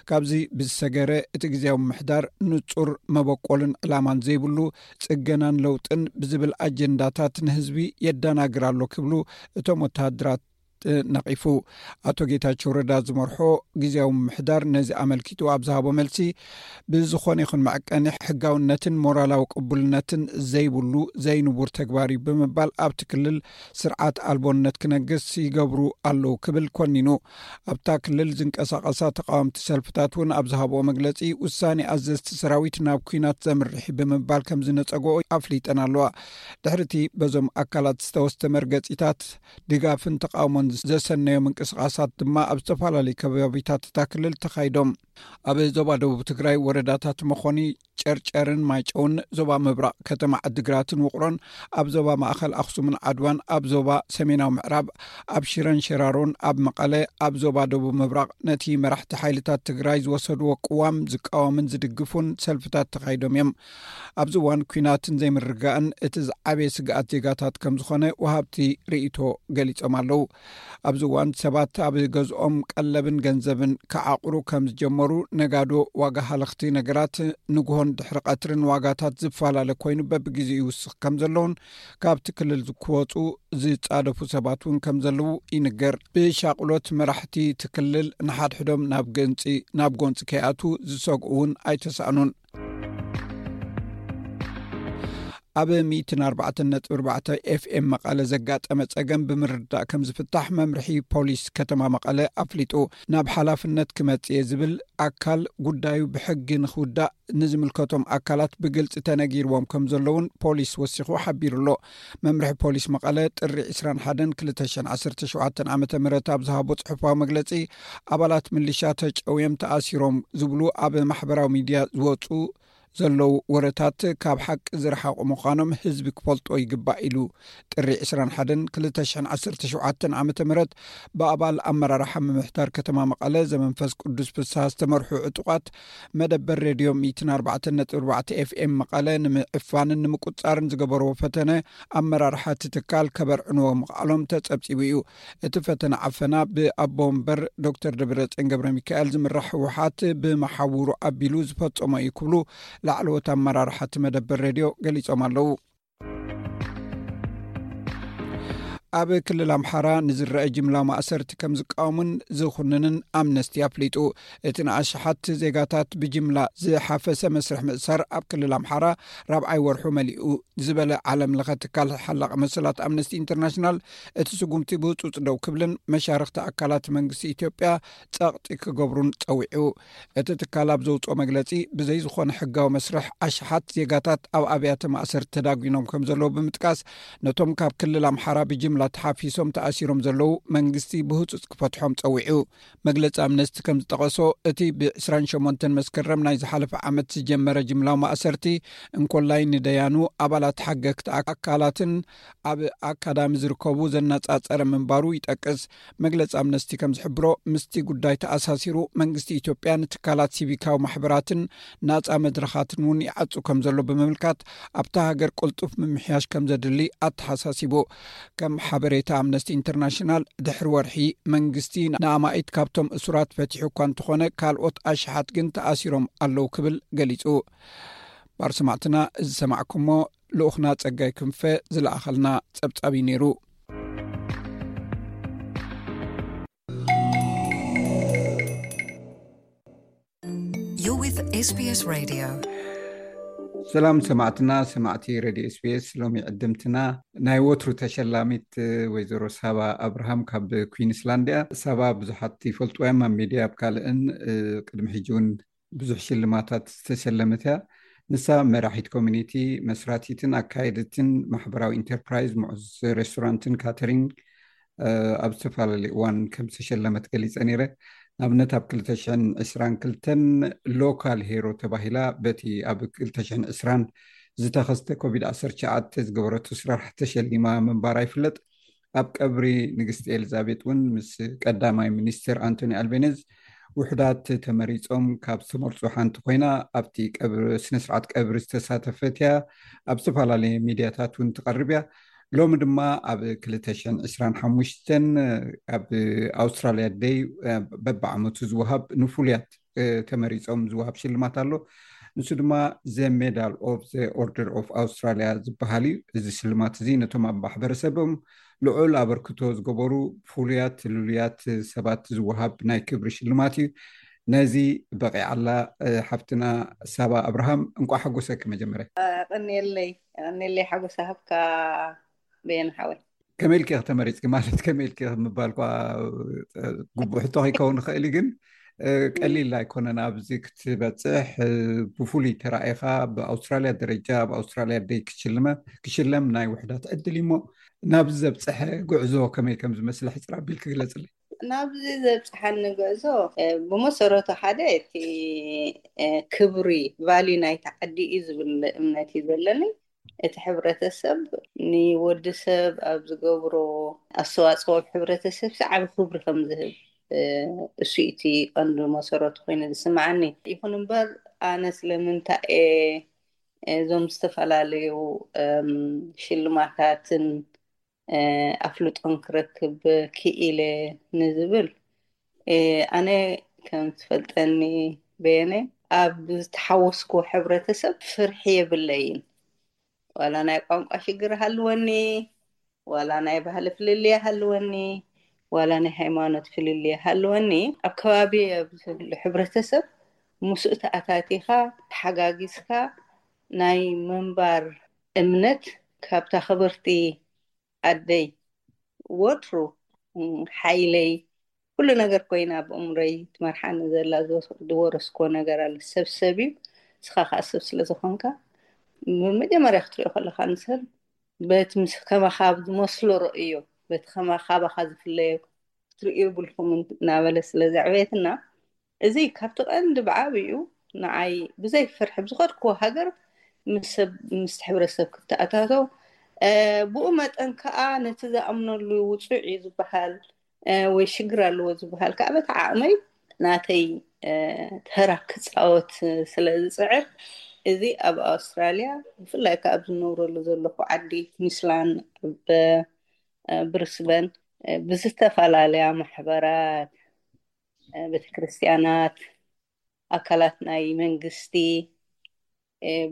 ካብዚ ብዝሰገረ እቲ ግዜያዊ ምምሕዳር ንጹር መበቆልን ዕላማን ዘይብሉ ጽገናን ለውጥን ብዝብል ኣጀንዳታት ንህዝቢ የደናግር ኣሎ ክብሉ እቶም ወተሃደራት ነቒፉ። ኣቶ ጌታቸው ረዳ ዝመርሖ ግዜያዊ ምምሕዳር ነዚ ኣመልኪቱ ኣብ ዝሃቦ መልሲ፣ ብዝኾነ ይኹን መዐቀኒ ሕጋውነትን ሞራላዊ ቅቡልነትን ዘይብሉ ዘይንቡር ተግባር እዩ ብምባል ኣብቲ ክልል ስርዓት ኣልቦነት ክነግስ ይገብሩ ኣለዉ ክብል ኮኒኑ። ኣብታ ክልል ዝንቀሳቐሳ ተቃወምቲ ሰልፍታት እውን ኣብ ዝሃብኦ መግለጺ፣ ውሳኔ ኣዘዝቲ ሰራዊት ናብ ኲናት ዘምርሕ እዩ ብምባል ከም ዝነጸግኦ ኣፍሊጠን ኣለዋ። ድሕሪ እቲ በዞም ኣካላት ዝተወስደ መርገጺታት፣ ድጋፍን ተቃውሞን ዘሰነዮ ምንቅስቃሳት ድማ ኣብ ዝተፈላለዩ ከባቢታት እታ ክልል ተኻይዶም። ኣብ ዞባ ደቡብ ትግራይ ወረዳታት መኾኒ፣ ጨርጨርን ማይጨውን፣ ዞባ ምብራቕ ከተማ ዓድግራትን ውቕሮን፣ ኣብ ዞባ ማእኸል ኣኽሱምን ዓድዋን፣ ኣብ ዞባ ሰሜናዊ ምዕራብ፣ ኣብ ሽረን ሸራሮን፣ ኣብ መቐለ፣ ኣብ ዞባ ደቡብ ምብራቕ ነቲ መራሕቲ ሓይልታት ትግራይ ዝወሰድዎ ቅዋም ዝቃወምን ዝድግፉን ሰልፍታት ተኻይዶም እዮም። ኣብዚ እዋን ኲናትን ዘይምርግጋእን እቲ ዝዓበየ ስግኣት ዜጋታት ከም ዝኾነ ወሃብቲ ርእይቶ ገሊጾም ኣለዉ። ኣብዚ እዋን ሰባት ኣብ ገዝኦም ቀለብን ገንዘብን ክዓቕሩ ከም ዝጀመሩ፣ ነጋዶ ዋጋ ሃለኽቲ ነገራት ንግሆን ድሕሪ ቀትርን ዋጋታት ዝፈላለ ኮይኑ በብግዜኡ ይውስኽ ከም ዘለውን ካብቲ ክልል ክወፁ ዝጻደፉ ሰባት እውን ከም ዘለዉ ይንገር። ብሻቕሎት መራሕቲ እቲ ክልል ንሓድሕዶም ናብ ገንፂ ናብ ጎንፂ ከይኣትዉ ዝሰግኡ እውን ኣይተሳእኑን። ኣብ ሚእትን ኣርባዕተን ነጥቢ ኣርባዕተ ኤፍኤም መቐለ ዘጋጠመ ጸገም ብምርዳእ ከም ዝፍታሕ መምርሒ ፖሊስ ከተማ መቐለ ኣፍሊጡ። ናብ ሓላፍነት ክመጽእ እየ ዝብል ኣካል ጉዳዩ ብሕጊ ንኽውዳእ ንዝምልከቶም ኣካላት ብግልጺ ተነጊርዎም ከም ዘለውን ፖሊስ ወሲኹ ሓቢሩ ኣሎ። መምርሒ ፖሊስ መቐለ ጥሪ ዕስራን ሓደን ክልተ ሽሕን ዓሰርተ ሸውዓተን ዓመተ ምህረት ኣብ ዝሃቦ ጽሑፋዊ መግለጺ፣ ኣባላት ምልሻ ተጨውዮም ተኣሲሮም ዝብሉ ኣብ ማሕበራዊ ሚድያ ዝወጹ ዘለዉ ወረታት ካብ ሓቂ ዝረሓቑ ምዃኖም ህዝቢ ክፈልጦ ይግባእ ኢሉ። ጥሪ ዕስራን ሓደን ክልተ ሽሕን ዓሰርተ ሸውዓተን ዓመተ ምህረት ብኣባል ኣመራርሓ ምምሕዳር ከተማ መቐለ ዘመንፈስ ቅዱስ ፍስሃ ዝተመርሑ ዕጡቓት መደበር ሬድዮ ሚእትን ኣርባዕተን ነጥቢ ኣርባዕተ ኤፍኤም መቐለ ንምዕፋንን ንምቁጻርን ዝገበርዎ ፈተነ ኣመራርሓ እቲ ትካል ከበርዕንዎ ምኽኣሎም ተጸብጺቡ እዩ። እቲ ፈተነ ዓፈና ብኣቦ ወንበር ዶክተር ደብረጽዮን ገብረ ሚካኤል ዝምራሕ ህወሓት ብመሓውሩ ኣቢሉ ዝፈጸሞ እዩ ክብሉ ላዕለዎት ኣመራርሓ እቲ መደበር ሬድዮ ገሊጾም ኣለዉ። ኣብ ክልል ኣምሓራ ንዝረአ ጅምላ ማእሰርቲ ከም ዝቃወሙን ዝኹንንን ኣምነስቲ ኣፍሊጡ። እቲ ንኣሽሓት ዜጋታት ብጅምላ ዝሓፈሰ መስርሕ ምእሳር ኣብ ክልል ኣምሓራ ራብዓይ ወርሑ መሊኡ ዝበለ ዓለም ለኸ ትካል ሓላቕ መሰላት ኣምነስቲ ኢንተርናሽናል፣ እቲ ስጉምቲ ብህጹጽ ደው ክብልን መሻርኽቲ ኣካላት መንግስቲ ኢትዮጵያ ጸቕጢ ክገብሩን ጸዊዑ። እቲ ትካል ኣብ ዘውጽኦ መግለጺ፣ ብዘይ ዝኾነ ሕጋዊ መስርሕ ኣሽሓት ዜጋታት ኣብ ኣብያተ ማእሰርቲ ተዳጒኖም ከም ዘለዉ ብምጥቃስ፣ ነቶም ካብ ክልል ኣምሓራ ብጅምላ ተሓፊሶም ተኣሲሮም ዘለዉ መንግስቲ ብህጹጽ ክፈትሖም ጸዊዑ። መግለጺ ኣምነስቲ ከም ዝጠቐሶ፣ እቲ ብ ዕስራን ሸሞንተን መስከረም ናይ ዝሓለፈ ዓመት ዝጀመረ ጅምላዊ ማእሰርቲ፣ እንኮላይ ንደያኑ፣ ኣባላት ሓገግቲ ኣካላትን ኣብ ኣካዳሚ ዝርከቡ ዘነጻጸረ ምንባሩ ይጠቅስ። መግለጺ ኣምነስቲ ከም ዝሕብሮ፣ ምስቲ ጉዳይ ተኣሳሲሩ መንግስቲ ኢትዮጵያ ንትካላት ሲቪካዊ ማሕበራትን ናጻ መድረኻትን እውን ይዓጹ ከም ዘሎ ብምምልካት፣ ኣብታ ሃገር ቅልጡፍ ምምሕያሽ ከም ዘድሊ ኣተሓሳሲቡ። ከም ሓበሬታ ኣምነስቲ ኢንተርናሽናል፣ ድሕሪ ወርሒ መንግስቲ ንኣማኢት ካብቶም እሱራት ፈቲሑ እኳ እንተኾነ፣ ካልኦት ኣሽሓት ግን ተኣሲሮም ኣለዉ ክብል ገሊጹ። ባር ሰማዕትና፣ እዚ ሰማዕኩሞ ልኡኽና ጸጋይ ክንፈ ዝለኣኸልና ጸብጻብ እዩ ነይሩ። You're with S B S Radio. ሰላም ሰማዕትና፣ ሰማዕቲ ሬድዮ ኤስቢኤስ። ሎሚ ዕድምትና ናይ ወትሩ ተሸላሚት ወይዘሮ ሳባ ኣብርሃም ካብ ኩዊንስላንድ እያ። ሳባ ብዙሓት ይፈልጥዋ እዮም፣ ኣብ ሚድያ ኣብ ካልእን ቅድሚ ሕጂ እውን ብዙሕ ሽልማታት ዝተሸለመት እያ። ንሳ መራሒት ኮሚኒቲ፣ መስራቲትን ኣካየድትን ማሕበራዊ ኢንተርፕራይዝ ምዑዝ ሬስቶራንትን ካተሪንግ ኣብ ዝተፈላለዩ እዋን ከም ዝተሸለመት ገሊፀ ነይረ። ንኣብነት ኣብ ክልተ ሽሕን ዕስራን ክልተን ሎካል ሄሮ ተባሂላ በቲ ኣብ ክልተ ሽሕን ዕስራን ዝተኸስተ ኮቪድ ዓሰርተ ትሽዓተ ዝገበረቶ ስራሕ ተሸሊማ ምንባራ ይፍለጥ። ኣብ ቀብሪ ንግስቲ ኤልዛቤጥ እውን ምስ ቀዳማይ ሚኒስትር ኣንቶኒ ኣልቤኔዝ ውሕዳት ተመሪጾም ካብ ዝተመርጹ ሓንቲ ኮይና ኣብቲ ቀብሪ፣ ስነ ስርዓት ቀብሪ ዝተሳተፈት እያ። ኣብ ዝተፈላለየ ሚድያታት እውን ትቐርብ እያ። ሎሚ ድማ ኣብ ክልተ ሽሕን ዕስራን ሓሙሽተን ኣብ ኣውስትራልያ ደይ በብዓመቱ ዝወሃብ ንፍሉያት ተመሪጾም ዝወሃብ ሽልማት ኣሎ። ንሱ ድማ ዘ ሜዳል ኦፍ ዘ ኦርደር ኦፍ ኣውስትራልያ ዝበሃል እዩ። እዚ ሽልማት እዚ ነቶም ኣብ ማሕበረሰቦም ልዑል ኣበርክቶ ዝገበሩ ፍሉያት ልሉያት ሰባት ዝወሃብ ናይ ክብሪ ሽልማት እዩ። ነዚ በቂዓላ ሓፍትና ሳባ ኣብርሃም፣ እንቋዕ ሓጎሰኪ። መጀመርያ ቀንየለይ፣ ቀንየለይ፣ ሓጎስ ሃብካ በየን ሓወይ። ከመይ ኢልኪ ኢኺ ተመሪጽኪ? ማለት ከመይ ኢልኪ ኢኺ ምባል እኳ ግቡእ ሕቶ ከይከውን ይኽእል እዩ፣ ግን ቀሊል ኣይኮነን ኣብዚ ክትበጽሕ። ብፍሉይ ተራኢኻ ብኣውስትራልያ ደረጃ፣ ኣብ ኣውስትራልያ ደይ ክሽልመ ክሽለም ናይ ውሕዳት ዕድል እዩ። እሞ ናብዚ ዘብጽሐ ጉዕዞ ከመይ ከም ዝመስል ሕጽር ኣቢልኪ ግለጽለይ። ናብዚ ዘብጽሓኒ ጉዕዞ ብመሰረቱ ሓደ እቲ ክብሪ ቫልዩ ናይቲ ዓዲ እዩ ዝብል እምነት እዩ ዘለኒ። እቲ ሕብረተሰብ ንወዲ ሰብ ኣብ ዝገብሮ ኣስተዋፅኦ ኣብ ሕብረተሰብ ዓቢ ክብሪ ከም ዝህብ እሱ እቲ ቀንዲ መሰረቱ ኮይኑ ዝስምዓኒ። ይኹን እምበር ኣነ ስለምንታይ እየ እዞም ዝተፈላለዩ ሽልማታትን ኣፍልጦን ክረክብ ክኢለ ንዝብል፣ ኣነ ከም ትፈልጠኒ በየነ፣ ኣብ ዝተሓወስኩ ሕብረተሰብ ፍርሒ የብለይን። ዋላ ናይ ቋንቋ ሽግር ሃልወኒ፣ ዋላ ናይ ባህሊ ፍልልይ ሃልወኒ፣ ዋላ ናይ ሃይማኖት ፍልልይ ሃልወኒ፣ ኣብ ከባቢ ኣብ ዘሎ ሕብረተሰብ ምስኡ ተኣታቲኻ ተሓጋጊዝካ ናይ ምንባር እምነት ካብታ ክብርቲ ኣደይ ወትሩ ሓይለይ ኩሉ ነገር ኮይና ብእምሮይ ትመርሓኒ ዘላ ዝወረስኮ ነገር ኣለ። ሰብ ሰብ እዩ፣ ንስኻ ከዓ ሰብ ስለ ዝኾንካ መጀመርያ ክትሪኦ ከለካ ንሰብ በቲ ምስ ከማኻ ዝመስሎ ረእዮ፣ በቲ ከማኻ ባኻ ዝፍለዮ ክትርእዩ የብልኩምን እናበለ ስለ ዘዕበየትና፣ እዚ ካብቲ ቀንዲ ብዓብዩ ንዓይ ብዘይ ፍርሒ ብዝኸድክዎ ሃገር ምስ ሰብ ምስቲ ሕብረተሰብ ክተኣታተው፣ ብኡ መጠን ከዓ ነቲ ዝኣምነሉ ውፁዕ እዩ ዝበሃል ወይ ሽግር ኣለዎ ዝበሃል ከዓ በቲ ዓቕመይ ናተይ ተራ ክፃወት ስለ ዝፅዕር፣ እዚ ኣብ ኣውስትራልያ ብፍላይ ከዓ ኣብ ዝነብረሉ ዘለኹ ዓዲ ኩንስላንድ፣ ኣብ ብሪስበን ብዝተፈላለያ ማሕበራት፣ ቤተክርስትያናት፣ ኣካላት ናይ መንግስቲ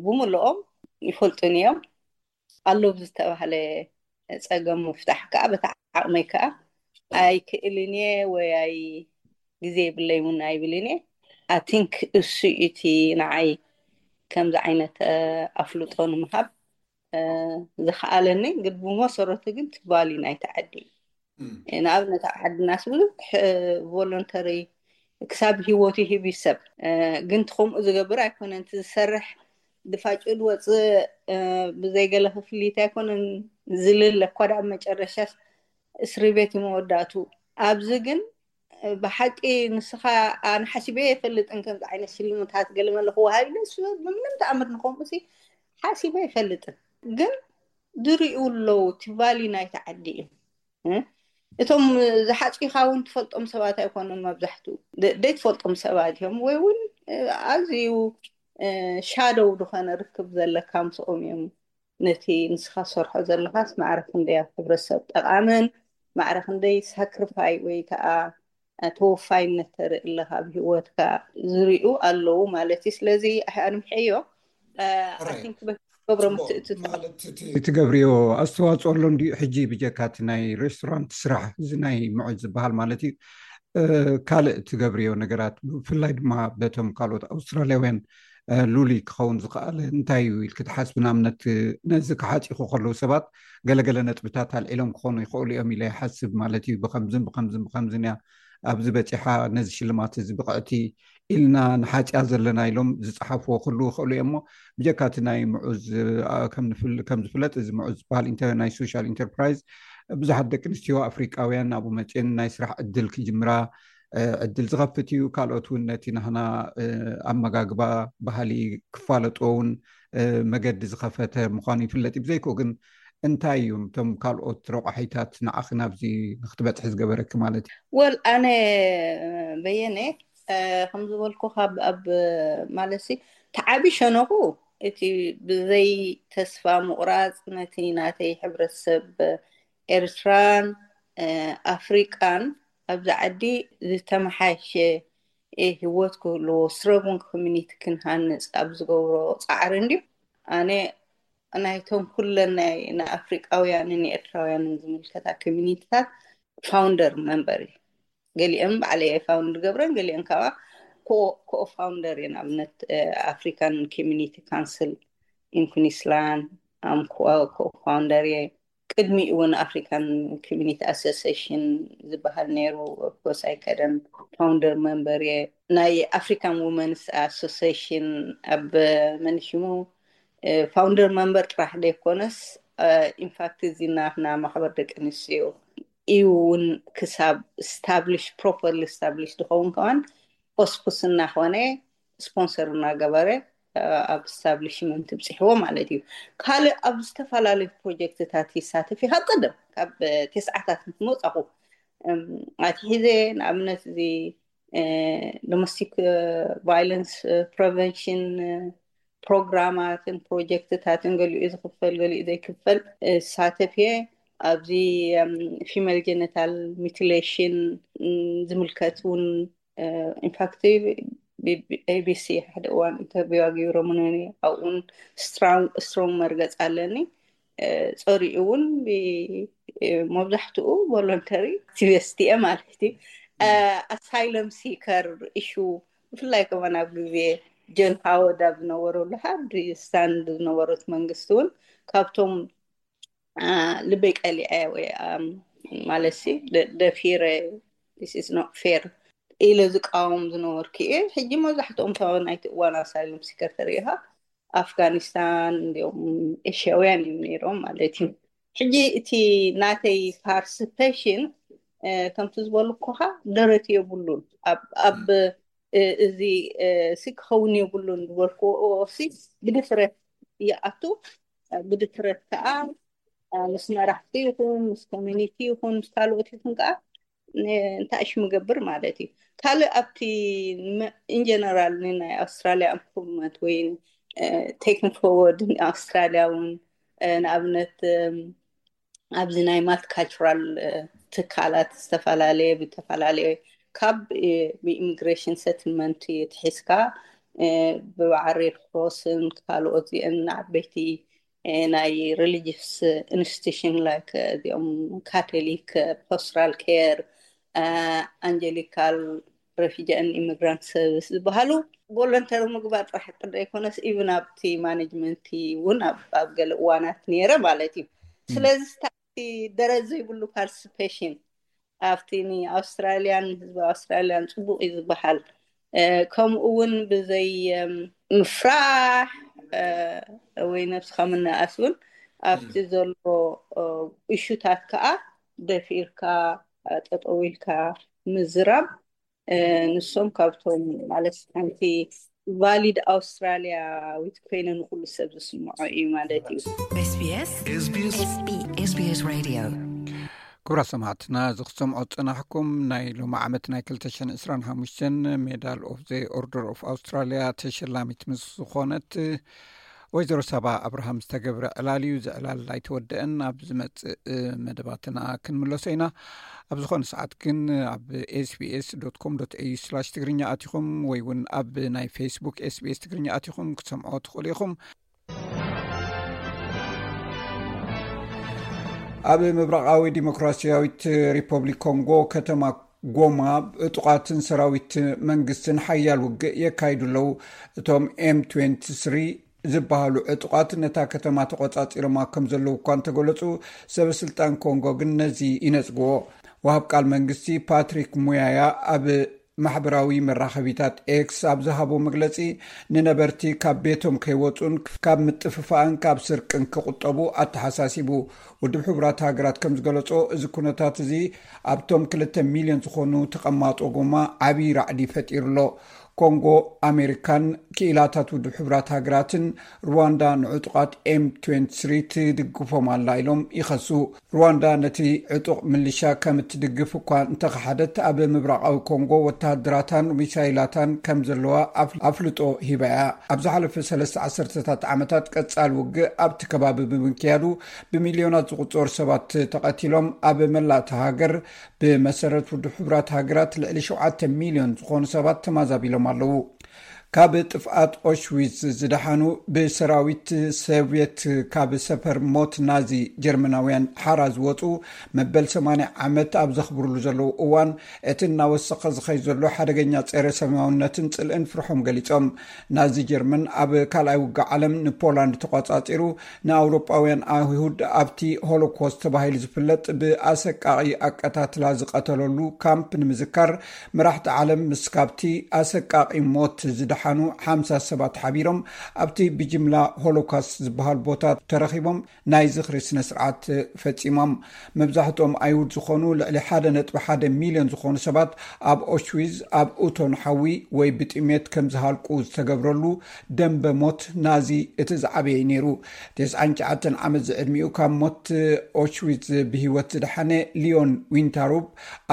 ብምልኦም ይፈልጡን እዮም። ኣሎ ብዝተባህለ ፀገም ምፍታሕ ከዓ በቲ ዓቕመይ ከዓ ኣይክእልን እየ ወይ ኣይ ግዜ የብለይ እውን ኣይብልን እየ። ኣቲንክ እሱ እቲ ንዓይ ከምዚ ዓይነት ኣፍልጦ ንምሃብ ዝኸኣለኒ። ግን ብመሰረቱ ግን ትባሊ ናይቲ ዓዲ እዩ። ንኣብነት ኣብ ዓድናስ ብዙሕ ቮለንተሪ ክሳብ ሂወቱ ይህብ እዩ ሰብ። ግን ከምኡ ዝገብር ኣይኮነን። እቲ ዝሰርሕ ድፋጭ ዝወፅእ ብዘይገለ ክፍሊት ኣይኮነን ዝልለ እኳ ዳ ኣብ መጨረሻ እስሪ ቤት እዩ መወዳእቱ። ኣብዚ ግን ብሓቂ ንስኻ ኣነ ሓሲበ ኣይፈልጥን ከምዚ ዓይነት ሽልምታት ገለ መለ ክወሃብ ኢለ እሱ ብምንም ተኣምር ንኸምኡ ሲ ሓሲበ ኣይፈልጥን። ግን ዝርእዩ ኣለዉ እቲ ቫልዩ ናይቲ ዓዲ እዩ። እቶም ዝሓፂኻ እውን ትፈልጦም ሰባት ኣይኮኑን መብዛሕትኡ። ደይትፈልጦም ሰባት እዮም ወይ እውን ኣዝዩ ሻዶው ዝኾነ ርክብ ዘለካ ምስኦም እዮም። ነቲ ንስኻ ትሰርሖ ዘለኻስ ማዕረ ክንደይ ኣብ ሕብረተሰብ ጠቓምን ማዕረ ክንደይ ሳክሪፋይ ወይ ከዓ ተወፋይነት ተርኢ ኣለኻ ኣብ ሂወትካ ዝሪኡ ኣለዉ ማለት እዩ። ስለዚ ኣንምሐዮ። ገብሮ ትገብርዮ ኣስተዋፅኦ ኣሎ እንዲዩ። ሕጂ ብጀካ እቲ ናይ ሬስቶራንት ስራሕ እዚ ናይ ምዑዝ ዝበሃል ማለት እዩ፣ ካልእ ትገብርዮ ነገራት ብፍላይ ድማ በቶም ካልኦት ኣውስትራልያውያን ሉሊ ክኸውን ዝኸኣለ እንታይ እዩ ኢልክ ትሓስብ? ንኣብነት ነዚ ክሓፂኹ ከለዉ ሰባት ገለገለ ነጥብታት ኣልዒሎም ክኾኑ ይኽእሉ እዮም ኢለ ይሓስብ ማለት እዩ። ብከምዝን ብከምዝን ብከምዝን እያ ኣብዚ በፂሓ፣ ነዚ ሽልማት እዚ ብቕዕቲ ኢልና ንሓፂያ ዘለና ኢሎም ዝፀሓፍዎ ክህልዉ ይኽእሉ እዮም። እሞ ብጀካ እቲ ናይ ምዑዝ ከም ዝፍለጥ እዚ ምዑዝ ዝበሃል ናይ ሶሻል ኢንተርፕራይዝ ብዙሓት ደቂ ኣንስትዮ ኣፍሪቃውያን ኣብኡ መፅን ናይ ስራሕ ዕድል ክጅምራ ዕድል ዝኸፍት እዩ። ካልኦት እውን ነቲ ናህና ኣመጋግባ ባህሊ ክፋለጦ እውን መገዲ ዝኸፈተ ምዃኑ ይፍለጥ እዩ። ብዘይኮ ግን እንታይ እዮም እቶም ካልኦት ረቋሒታት ንዓኺ ናብዚ ንክትበፅሒ ዝገበረኪ ማለት እዩ? ወል ኣነ በየነ ከም ዝበልኩ ካብ ኣብ ማለት ተዓቢ ሸነኹ እቲ ብዘይ ተስፋ ምቑራፅ ነቲ ናተይ ሕብረተሰብ ኤርትራን ኣፍሪቃን ኣብዚ ዓዲ ዝተመሓየሸ ህይወት ክህልዎ፣ ስትሮንግ ኮሚኒቲ ክንሃንፅ ኣብ ዝገብሮ ፃዕሪ እንድዩ። ኣነ ናይቶም ኩለን ናይ ንኣፍሪቃውያንን ንኤርትራውያንን ዝምልከታ ኮሚኒቲታት ፋውንደር መንበር እዩ። ገሊኦም ባዕለየ ፋውንድ ገብረን፣ ገሊኦም ከዓ ኮ ፋውንደር እየ። ንኣብነት ኣፍሪካን ኮሚኒቲ ካውንስል ኢን ኩንስላንድ ኣም ኮ ፋውንደር እየ። ቅድሚኡ እውን ኣፍሪካን ኮሚኒቲ ኣሶሲሽን ዝበሃል ነይሩ። ኦፍኮርስ ኣይከደን ፋውንደር መንበር እየ። ናይ ኣፍሪካን ውመንስ ኣሶሲሽን ኣብ መንሽሙ ፋውንደር መንበር ጥራሕ ዘይኮነስ ኢንፋክት እዚ ናትና ማሕበር ደቂ ኣንስትዮ እዩ እውን ክሳብ ስታብሊሽ ፕሮፐርሊ ስታብሊሽ ዝኸውን ከማን ኦስኩስ እናኾነ ስፖንሰር እናገበረ ኣብ ስታብሊሽመንት ብፅሕዎ ማለት እዩ። ካልእ ኣብ ዝተፈላለዩ ፕሮጀክትታት ይሳተፍ እዩ። ካብ ቀደም ካብ ተስዓታት ምስ መፃኹ ኣትሒዘ ንኣብነት እዚ ዶሜስቲክ ቫይለንስ ፕሪቨንሽን ፕሮግራማትን ፕሮጀክትታትን ገሊኡ ዝኽፈል ገሊኡ ዘይክፈል ሳተፍ እየ። ኣብዚ ፊሜል ጀነታል ሚቲሌሽን ዝምልከት እውን ኢንፋክት ኤቢሲ ሓደ እዋን ኢንተርቪው ኣገይሮምኒ። ኣብኡን ስትሮንግ መርገፅ ኣለኒ። ፀሪኡ እውን መብዛሕትኡ ቮለንተሪ ኣክቲቪስት እየ ማለት እዩ። ኣሳይለም ሲከር ኢሹ ብፍላይ ከማን ኣብ ግዜ ጆን ሃወርድ ኣብ ዝነበረሉ ሃርድ ስታንድ ዝነበረት መንግስቲ እውን ካብቶም ልበይ ቀሊዐ ወይ ማለት ደፊረ this is not fair ኢለ ዝቃወም ዝነበርኩ እየ። ሕጂ መብዛሕትኦም ናይቲ እዋን ኣሳይለም ሲከር ተሪኢኻ ኣፍጋኒስታን እንዲኦም ኤሽያውያን እዮም ነይሮም ማለት እዩ። ሕጂ እቲ ናተይ ፓርቲሲፔሽን ከምቲ ዝበልኩኻ ደረት የብሉን። ኣብ እዚ ሲ ክኸውን የብሉን ዝበልክዎ ሲ ብድፍረት ይኣቱ። ብድፍረት ከዓ ምስ መራሕቲ ይኹን ምስ ኮሚኒቲ ይኹን ምስ ካልኦት ይኹን ከዓ እንታይ እሽ ምገብር ማለት እዩ። ካልእ ኣብቲ ኢንጀነራል ናይ ኣውስትራሊያ ኢምፕሩቭመንት ወይ ቴክን ፎርወርድ ኣውስትራሊያ እውን ንኣብነት ኣብዚ ናይ ማልቲካልቸራል ትካላት ዝተፈላለየ ብተፈላለየ ካብ ብኢሚግሬሽን ሰትልመንት ትሒዝካ ብበዓል ሬድ ክሮስን ካልኦት ዚአን ዓበይቲ ናይ ሪሊጅስ ኢንስቲቱሽን ላይክ እዚኦም ካቶሊክ ፖስትራል ኬር ኣንጀሊካል ሬፊጂ ን ኢሚግራንት ሰርቪስ ዝበሃሉ ቮለንተሪ ምግባር ጥራሕ ጥደ ኣይኮነስ ኢቭን ኣብቲ ማኔጅመንቲ እውን ኣብ ገለ እዋናት ነይረ ማለት እዩ። ስለዚ ደረት ዘይብሉ ፓርቲሲፔሽን ኣብቲ ንኣውስትራልያን ህዝቢ ኣውስትራልያን ፅቡቅ እዩ ዝበሃል ከምኡ እውን ብዘይ ምፍራሕ ወይ ነብስካ ምንኣስ እውን ኣብቲ ዘሎ እሹታት ከዓ ደፊርካ ጠጠው ኢልካ ምዝራብ ንሶም ካብቶም ማለት ሓንቲ ቫሊድ ኣውስትራሊያዊት ኮይነ ንኩሉ ሰብ ዝስምዖ እዩ ማለት እዩ። SBS SBS Radio። ክቡራት ሰማዕትና፣ እዚ ክትሰምዖ ዝጸናሕኩም ናይ ሎሚ ዓመት ናይ ክልተ ሽሕን ዕስራን ሓሙሽተን ሜዳል ኦፍ ዘ ኦርደር ኦፍ ኣውስትራሊያ ተሸላሚት ምስ ዝኾነት ወይዘሮ ሳባ ኣብርሃም ዝተገብረ ዕላል እዩ። እዚ ዕላል ኣይተወደአን። ኣብ ዝመጽእ መደባትና ክንምለሶ ኢና። ኣብ ዝኾነ ሰዓት ግን ኣብ ኤስቢኤስ ዶት ኮም ዶት ኤዩ ስላሽ ትግርኛ ኣቲኹም ወይ እውን ኣብ ናይ ፌስቡክ ኤስቢኤስ ትግርኛ ኣቲኹም ክትሰምዖ ትኽእሉ ኢኹም። ኣብ ምብራቓዊ ዲሞክራሲያዊት ሪፐብሊክ ኮንጎ ከተማ ጎማ፣ ዕጡቓትን ሰራዊት መንግስትን ሓያል ውግእ የካይዱ ኣለዉ። እቶም ኤም ትዌንቲ ስሪ ዝበሃሉ ዕጡቓት ነታ ከተማ ተቖጻጺሮማ ከም ዘለዉ እኳ እንተገለጹ፣ ሰበ ስልጣን ኮንጎ ግን ነዚ ይነጽግዎ። ወሃብ ቃል መንግስቲ ፓትሪክ ሙያያ ኣብ ማሕበራዊ መራኸቢታት ኤክስ ኣብ ዝሃቦ መግለጺ፣ ንነበርቲ ካብ ቤቶም ከይወጹን ካብ ምጥፍፋእን ካብ ስርቅን ክቑጠቡ ኣተሓሳሲቡ። ውድብ ሕቡራት ሃገራት ከም ዝገለጾ፣ እዚ ኩነታት እዚ ኣብቶም ክልተ ሚልዮን ዝኾኑ ተቐማጦ ጎማ ዓብዪ ራዕዲ ፈጢሩ ኣሎ። ኮንጎ፣ ኣሜሪካን ክኢላታት ውድብ ሕቡራት ሃገራትን ሩዋንዳ ንዕጡቓት ኤም ትዌንቲ ስሪ ትድግፎም ኣላ ኢሎም ይኸሱ። ሩዋንዳ ነቲ ዕጡቕ ምልሻ ከም እትድግፍ እኳ እንተኸሓደት፣ ኣብ ምብራቓዊ ኮንጎ ወተሃደራታን ሚሳይላታን ከም ዘለዋ ኣፍ-፣ ኣፍልጦ ሂባ እያ። ኣብ ዝሓለፈ ሰለስተ ዓሰርተታት ዓመታት ቀጻሊ ውግእ ኣብቲ ከባቢ ብምክያዱ፣ ብሚልዮናት ዝቑጸሩ ሰባት ተቐቲሎም፣ ኣብ መላእ እታ ሃገር ብመሰረት ውድብ ሕቡራት ሃገራት ልዕሊ ሸውዓተ ሚልዮን ዝኾኑ ሰባት ተማዛቢሎም ኣለዉ። ካብ ጥፍኣት ኦሽዊዝ ዝደሓኑ፣ ብሰራዊት ሶቭየት ካብ ሰፈር ሞት ናዚ ጀርመናውያን ሓራ ዝወጹ፣ መበል ሰማንያ ዓመት ኣብ ዘኽብርሉ ዘለዉ እዋን፣ እቲ እናወሰኸ ዝኸይ ዘሎ ሓደገኛ ጸረ ሰማውነትን ጽልእን ፍርሖም ገሊጾም። ናዚ ጀርመን ኣብ ካልኣይ ውግእ ዓለም ንፖላንድ ተቋጻጺሩ፣ ንኣውሮጳውያን ኣይሁድ ኣብቲ ሆሎኮስት ተባሂሉ ዝፍለጥ ብኣሰቃቒ ኣቀታትላ ዝቐተለሉ ካምፕ ንምዝካር፣ መራሕቲ ዓለም ምስ ካብቲ ኣሰቃቒ ሞት ዝደሓኑ ሓምሳ ሰባት ሓቢሮም ኣብቲ ብጅምላ ሆሎኮስት ዝበሃል ቦታ ተረኺቦም ናይ ዝኽሪ ስነ ስርዓት ፈጺሞም። መብዛሕትኦም ኣይሁድ ዝኾኑ ልዕሊ ሓደ ነጥቢ ሓደ ሚልዮን ዝኾኑ ሰባት ኣብ ኦሽዊዝ፣ ኣብ እቶን ሓዊ ወይ ብጥሜት ከም ዝሃልቁ ዝተገብረሉ ደንበ ሞት ናዚ እቲ ዝዓበየ እዩ ነይሩ። ተስዓን ትሽዓተን ዓመት ዝዕድሚኡ ካብ ሞት ኦሽዊዝ ብህይወት ዝደሓነ ሊዮን ዊንታሩፕ፣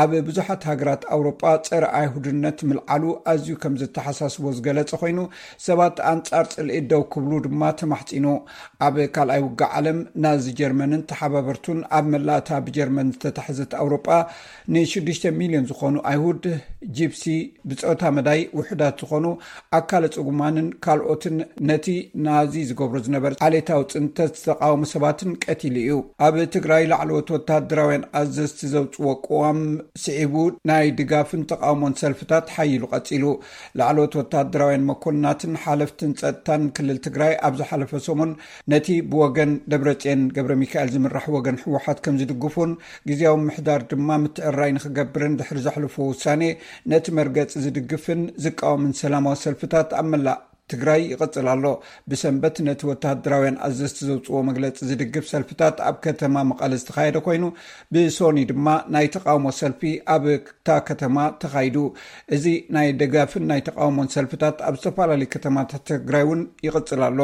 ኣብ ብዙሓት ሃገራት ኣውሮጳ ጸረ ኣይሁድነት ምልዓሉ ኣዝዩ ከም ዘተሓሳስቦ ዝገለጸ ኮይኑ፣ ሰባት ኣንጻር ጽልኢ ደው ክብሉ ድማ ተማሕጺኑ። ኣብ ካልኣይ ውግእ ዓለም ናዚ ጀርመንን ተሓባበርቱን ኣብ መላእታ ብጀርመን ዝተታሕዘት ኣውሮጳ ንሽዱሽተ ሚልዮን ዝኾኑ ኣይሁድ፣ ጂፕሲ፣ ብጾታ መዳይ ውሑዳት ዝኾኑ ኣካለ ጽጉማንን ካልኦትን ነቲ ናዚ ዝገብሮ ዝነበረ ዓሌታዊ ጽንተት ዝተቃወሙ ሰባትን ቀቲሉ እዩ። ኣብ ትግራይ ላዕለዎት ወተሃደራውያን ኣዘዝቲ ዘውጽዎ ቅዋም ስዒቡ ናይ ድጋፍን ተቃውሞን ሰልፍታት ሓይሉ ቀጺሉ። ላዕለዎት ወተሃደራውያን መኮንናትን ሓለፍትን ጸጥታን ክልል ትግራይ ኣብ ዝሓለፈ ሰሙን ነቲ ብወገን ደብረጽዮን ገብረ ሚካኤል ዝምራሕ ወገን ህወሓት ከም ዝድግፉን ግዝያዊ ምሕዳር ድማ ምትዕርራይ ንክገብርን ድሕሪ ዘሕልፎ ውሳኔ ነቲ መርገጺ ዝድግፍን ዝቃወምን ሰላማዊ ሰልፍታት ኣብ መላእ ትግራይ ይቕጽል ኣሎ። ብሰንበት ነቲ ወተሃደራውያን ኣዘዝቲ ዘውጽዎ መግለጺ ዝድግፍ ሰልፍታት ኣብ ከተማ መቐለ ዝተኻየደ ኮይኑ፣ ብሶኒ ድማ ናይ ተቃውሞ ሰልፊ ኣብ እታ ከተማ ተኻይዱ። እዚ ናይ ደጋፍን ናይ ተቃውሞን ሰልፍታት ኣብ ዝተፈላለዩ ከተማታት ትግራይ እውን ይቕጽል ኣሎ።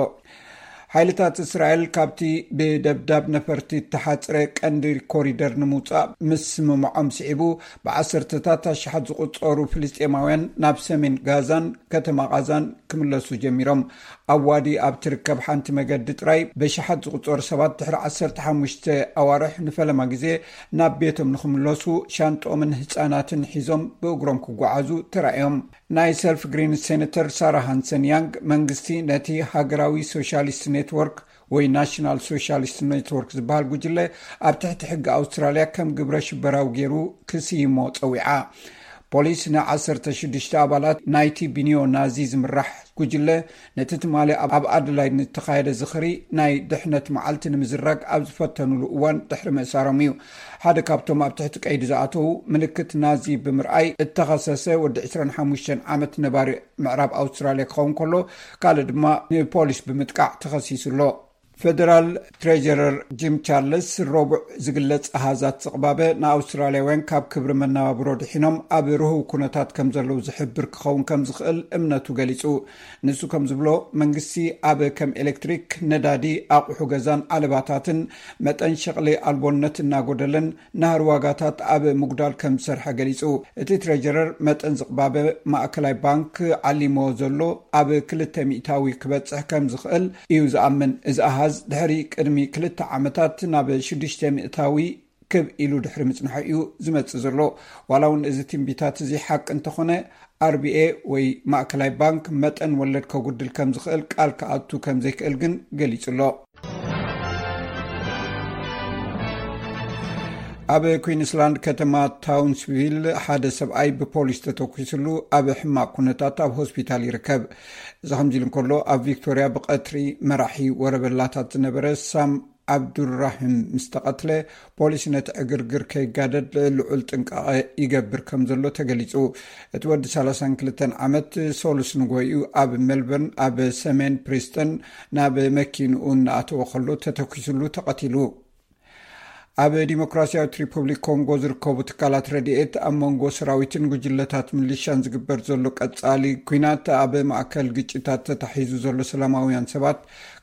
ሓይልታት እስራኤል ካብቲ ብደብዳብ ነፈርቲ እተሓጽረ ቀንዲ ኮሪደር ንምውጻእ ምስምምዖም ስዒቡ፣ ብዓሰርተታት ኣሽሓት ዝቑጸሩ ፍልስጤማውያን ናብ ሰሜን ጋዛን ከተማ ቃዛን ክምለሱ ጀሚሮም። ኣብ ዋዲ ኣብ ትርከብ ሓንቲ መገዲ ጥራይ ብሽሓት ዝቑጸሩ ሰባት ድሕሪ ዓሰርተ ሓሙሽተ ኣዋርሕ ንፈለማ ግዜ ናብ ቤቶም ንኽምለሱ ሻንጦምን ህጻናትን ሒዞም ብእግሮም ክጓዓዙ ተራእዮም። ናይ ሰልፍ ግሪን ሴነተር ሳራ ሃንሰን ያንግ፣ መንግስቲ ነቲ ሃገራዊ ሶሻሊስት ኔትወርክ ወይ ናሽናል ሶሻሊስት ኔትወርክ ዝበሃል ጉጅለ ኣብ ትሕቲ ሕጊ ኣውስትራልያ ከም ግብረ ሽበራዊ ገይሩ ክስይሞ ጸዊዓ። ፖሊስ ንዓሰርተ ሽዱሽተ ኣባላት ናይቲ ብኒዮ ናዚ ዝምራሕ ጉጅለ፣ ነቲ ትማሊ ኣብ፣ ኣብ ኣደላይድ ንተኻየደ ዝኽሪ ናይ ድሕነት መዓልቲ ንምዝራግ ኣብ ዝፈተኑሉ እዋን ድሕሪ ምእሳሮም እዩ። ሓደ ካብቶም ኣብ ትሕቲ ቀይዲ ዝኣተዉ፣ ምልክት ናዚ ብምርኣይ እተኸሰሰ ወዲ ዕስራን ሓሙሽተን ዓመት ነባሪ ምዕራብ ኣውስትራልያ ክኸውን ከሎ፣ ካልእ ድማ ንፖሊስ ብምጥቃዕ ተኸሲሱ ኣሎ። ፌደራል ትሬጀረር ጂም ቻርልስ፣ ረቡዕ ዝግለጽ ኣሃዛት ዝቕባበ ንኣውስትራልያውያን ካብ ክብሪ መነባብሮ ድሒኖም ኣብ ርሁው ኩነታት ከም ዘለዉ ዝሕብር ክኸውን ከም ዝኽእል እምነቱ ገሊጹ። ንሱ ከም ዝብሎ፣ መንግስቲ ኣብ ከም ኤሌክትሪክ፣ ነዳዲ፣ ኣቑሑ ገዛን ዓለባታትን መጠን ሸቕሊ ኣልቦነት እናጎደለን ናህሪ ዋጋታት ኣብ ምጉዳል ከም ዝሰርሐ ገሊጹ። እቲ ትሬጀረር፣ መጠን ዝቕባበ ማእከላይ ባንክ ዓሊሞ ዘሎ ኣብ ክልተ ሚእታዊ ክበጽሕ ከም ዝኽእል እዩ ዝኣምን። እዚ ኣሃዝ ድሕሪ ቅድሚ ክልተ ዓመታት ናብ ሽዱሽተ ሚእታዊ ክብ ኢሉ ድሕሪ ምጽንሑ እዩ ዝመጽእ ዘሎ። ዋላ እውን እዚ ትንቢታት እዚ ሓቂ እንተኾነ፣ ኣርቢኤ ወይ ማእከላይ ባንክ መጠን ወለድ ከጉድል ከም ዝኽእል ቃል ክኣቱ ከም ዘይክእል ግን ገሊጹ ኣሎ። ኣብ ኩዊንስላንድ ከተማ ታውንስቪል ሓደ ሰብኣይ ብፖሊስ ተተኪስሉ ኣብ ሕማቕ ኩነታት ኣብ ሆስፒታል ይርከብ። እዚ ከምዚ ኢሉ እንከሎ፣ ኣብ ቪክቶሪያ ብቐትሪ መራሒ ወረበላታት ዝነበረ ሳም ዓብዱራሂም ምስ ተቐትለ፣ ፖሊስ ነቲ ዕግርግር ከይጋደድ ልዑል ጥንቃቐ ይገብር ከም ዘሎ ተገሊጹ። እቲ ወዲ ሰላሳን ክልተን ዓመት ሰሉስ ንጎይኡ ኣብ ሜልበርን ኣብ ሰሜን ፕሪስተን ናብ መኪንኡ እናኣተወ ከሎ ተተኪስሉ ተቐቲሉ። ኣብ ዲሞክራሲያዊት ሪፐብሊክ ኮንጎ ዝርከቡ ትካላት ረድኤት፣ ኣብ መንጎ ሰራዊትን ጉጅለታት ሚሊሻን ዝግበር ዘሎ ቀጻሊ ኲናት ኣብ ማእከል ግጭታት ተታሒዙ ዘሎ ሰላማውያን ሰባት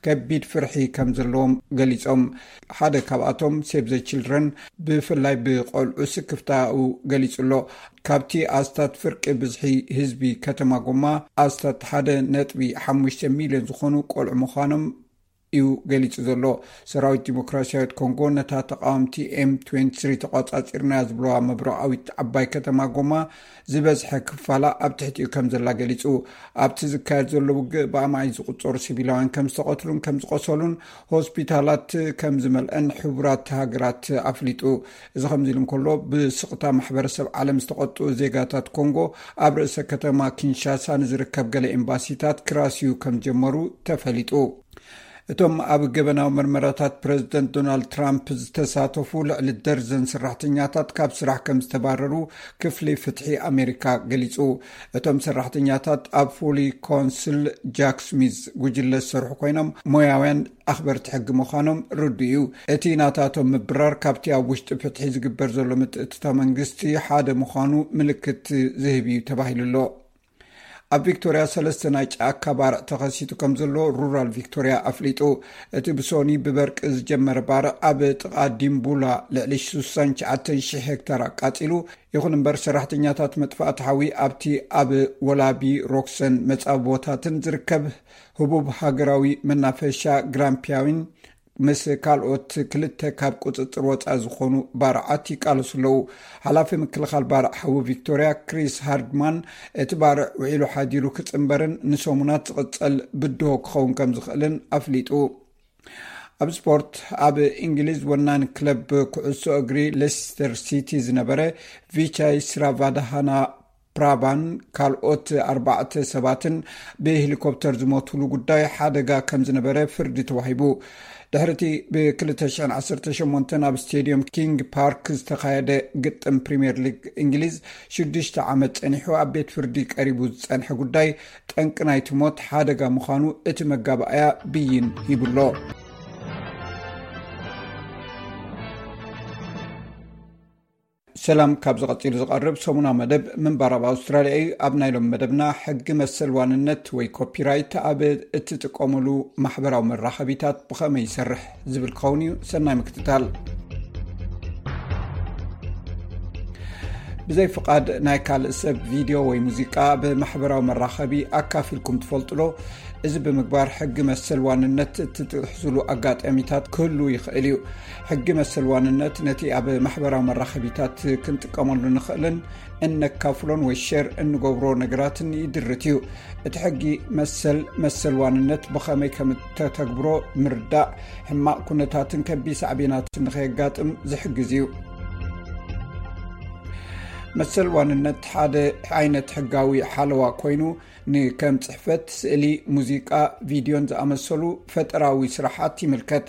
ከቢድ ፍርሒ ከም ዘለዎም ገሊጾም። ሓደ ካብኣቶም ሴቭ ዘ ችልድረን ብፍላይ ብቆልዑ ስክፍታኡ ገሊጹ ኣሎ። ካብቲ ኣስታት ፍርቂ ብዝሒ ህዝቢ ከተማ ጎማ ኣስታት ሓደ ነጥቢ ሓሙሽተ ሚልዮን ዝኾኑ ቆልዑ ምዃኖም እዩ ገሊጹ ዘሎ። ሰራዊት ዲሞክራሲያዊት ኮንጎ ነታ ተቃወምቲ ኤም ትዌንቲ ስሪ ተቆጻጺርናያ ዝብለዋ ምብራቓዊት ዓባይ ከተማ ጎማ ዝበዝሐ ክፋላ ኣብ ትሕቲኡ ከም ዘላ ገሊጹ። ኣብቲ ዝካየድ ዘሎ ውግእ ብኣማኢት ዝቁጸሩ ሲቪላውያን ከም ዝተቐትሉን ከም ዝቆሰሉን ሆስፒታላት ከም ዝመልአን ሕቡራት ሃገራት ኣፍሊጡ። እዚ ከምዚ ኢሉ እንከሎ፣ ብስቕታ ማሕበረሰብ ዓለም ዝተቐጥኡ ዜጋታት ኮንጎ ኣብ ርእሰ ከተማ ኪንሻሳ ንዝርከብ ገለ ኤምባሲታት ክራስዩ ከም ጀመሩ ተፈሊጡ። እቶም ኣብ ገበናዊ መርመራታት ፕረዚደንት ዶናልድ ትራምፕ ዝተሳተፉ ልዕሊ ደርዘን ሰራሕተኛታት ካብ ስራሕ ከም ዝተባረሩ ክፍሊ ፍትሒ ኣሜሪካ ገሊጹ። እቶም ሰራሕተኛታት ኣብ ፉሊ ኮንስል ጃክ ስሚዝ ጉጅለ ዝሰርሑ ኮይኖም፣ ሞያውያን ኣኽበርቲ ሕጊ ምዃኖም ርዱእ እዩ። እቲ ናታቶም ምብራር ካብቲ ኣብ ውሽጢ ፍትሒ ዝግበር ዘሎ ምትእትታው መንግስቲ ሓደ ምዃኑ ምልክት ዝህብ እዩ ተባሂሉ ኣሎ። ኣብ ቪክቶርያ ሰለስተ ናይ ጫካ ባርዕ ተኸሲቱ ከም ዘሎ ሩራል ቪክቶርያ ኣፍሊጡ። እቲ ብሶኒ ብበርቂ ዝጀመረ ባርዕ ኣብ ጥቓ ዲምቡላ ልዕሊ ሽሳን ትሽዓተን ሽሕ ሄክታር ኣቃጺሉ። ይኹን እምበር፣ ሰራሕተኛታት መጥፋእቲ ሓዊ ኣብቲ ኣብ ወላቢ ሮክሰን መጻብቦታትን ዝርከብ ህቡብ ሃገራዊ መናፈሻ ግራምፒያዊን ምስ ካልኦት ክልተ ካብ ቁጽጽር ወጻኢ ዝኾኑ ባርዓት ይቃለሱ ኣለዉ። ሓላፊ ምክልኻል ባርዕ ሓዊ ቪክቶርያ ክሪስ ሃርድማን፣ እቲ ባርዕ ውዒሉ ሓዲሩ ክጽንበርን ንሰሙናት ዝቕጸል ብድሆ ክኸውን ከም ዝኽእልን ኣፍሊጡ። ኣብ ስፖርት፣ ኣብ እንግሊዝ ወናኒ ክለብ ኩዕሶ እግሪ ሌስተር ሲቲ ዝነበረ ቪቻይ ስራቫዳሃና ፕራባን ካልኦት ኣርባዕተ ሰባትን ብሄሊኮፕተር ዝሞቱሉ ጉዳይ ሓደጋ ከም ዝነበረ ፍርዲ ተዋሂቡ። ድሕሪ እቲ ብ ክልተ ሽሕን ዓሰርተ ሸሞንተን ኣብ ስቴድየም ኪንግ ፓርክ ዝተኻየደ ግጥም ፕሪምየር ሊግ እንግሊዝ ሽዱሽተ ዓመት ጸኒሑ ኣብ ቤት ፍርዲ ቀሪቡ ዝጸንሐ ጉዳይ፣ ጠንቂ ናይቲ ሞት ሓደጋ ምዃኑ እቲ መጋባእያ ብይን ሂቡሎ። ሰላም፣ ካብዚ ቀጺሉ ዝቐርብ ሰሙናዊ መደብ ምንባር ኣብ ኣውስትራልያ እዩ። ኣብ ናይ ሎሚ መደብና፣ ሕጊ መሰል ዋንነት ወይ ኮፒራይት ኣብ እትጥቀሙሉ ማሕበራዊ መራኸቢታት ብኸመይ ይሰርሕ ዝብል ክኸውን እዩ። ሰናይ ምክትታል። ብዘይ ፍቓድ ናይ ካልእ ሰብ ቪድዮ ወይ ሙዚቃ ኣብ ማሕበራዊ መራኸቢ ኣካፊልኩም ትፈልጡ ዶ? እዚ ብምግባር ሕጊ መሰል ዋንነት እትጥሕሱሉ ኣጋጣሚታት ክህሉ ይኽእል እዩ። ሕጊ መሰል ዋንነት ነቲ ኣብ ማሕበራዊ መራኸቢታት ክንጥቀመሉ ንኽእልን እነካፍሎን ወይ ሼር እንገብሮ ነገራትን ይድርት እዩ። እቲ ሕጊ መሰል፣ መሰል ዋንነት ብኸመይ ከም እተተግብሮ ምርዳእ፣ ሕማቕ ኩነታትን ከቢድ ሳዕቤናትን ንኸየጋጥም ዝሕግዝ እዩ። መሰል ዋንነት ሓደ ዓይነት ሕጋዊ ሓለዋ ኮይኑ፣ ንከም ጽሕፈት፣ ስእሊ፣ ሙዚቃ፣ ቪድዮን ዝኣመሰሉ ፈጠራዊ ስራሓት ይምልከት።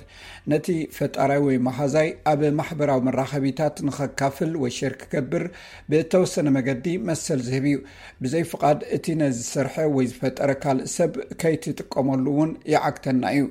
ነቲ ፈጣራይ ወይ መሃዛይ ኣብ ማሕበራዊ መራኸቢታት ንኸካፍል ወይ ሼር ክገብር ብእተወሰነ መገዲ መሰል ዝህብ እዩ። ብዘይ ፍቓድ እቲ ነዚ ዝሰርሐ ወይ ዝፈጠረ ካልእ ሰብ ከይትጥቀመሉ እውን ይዓግተና እዩ።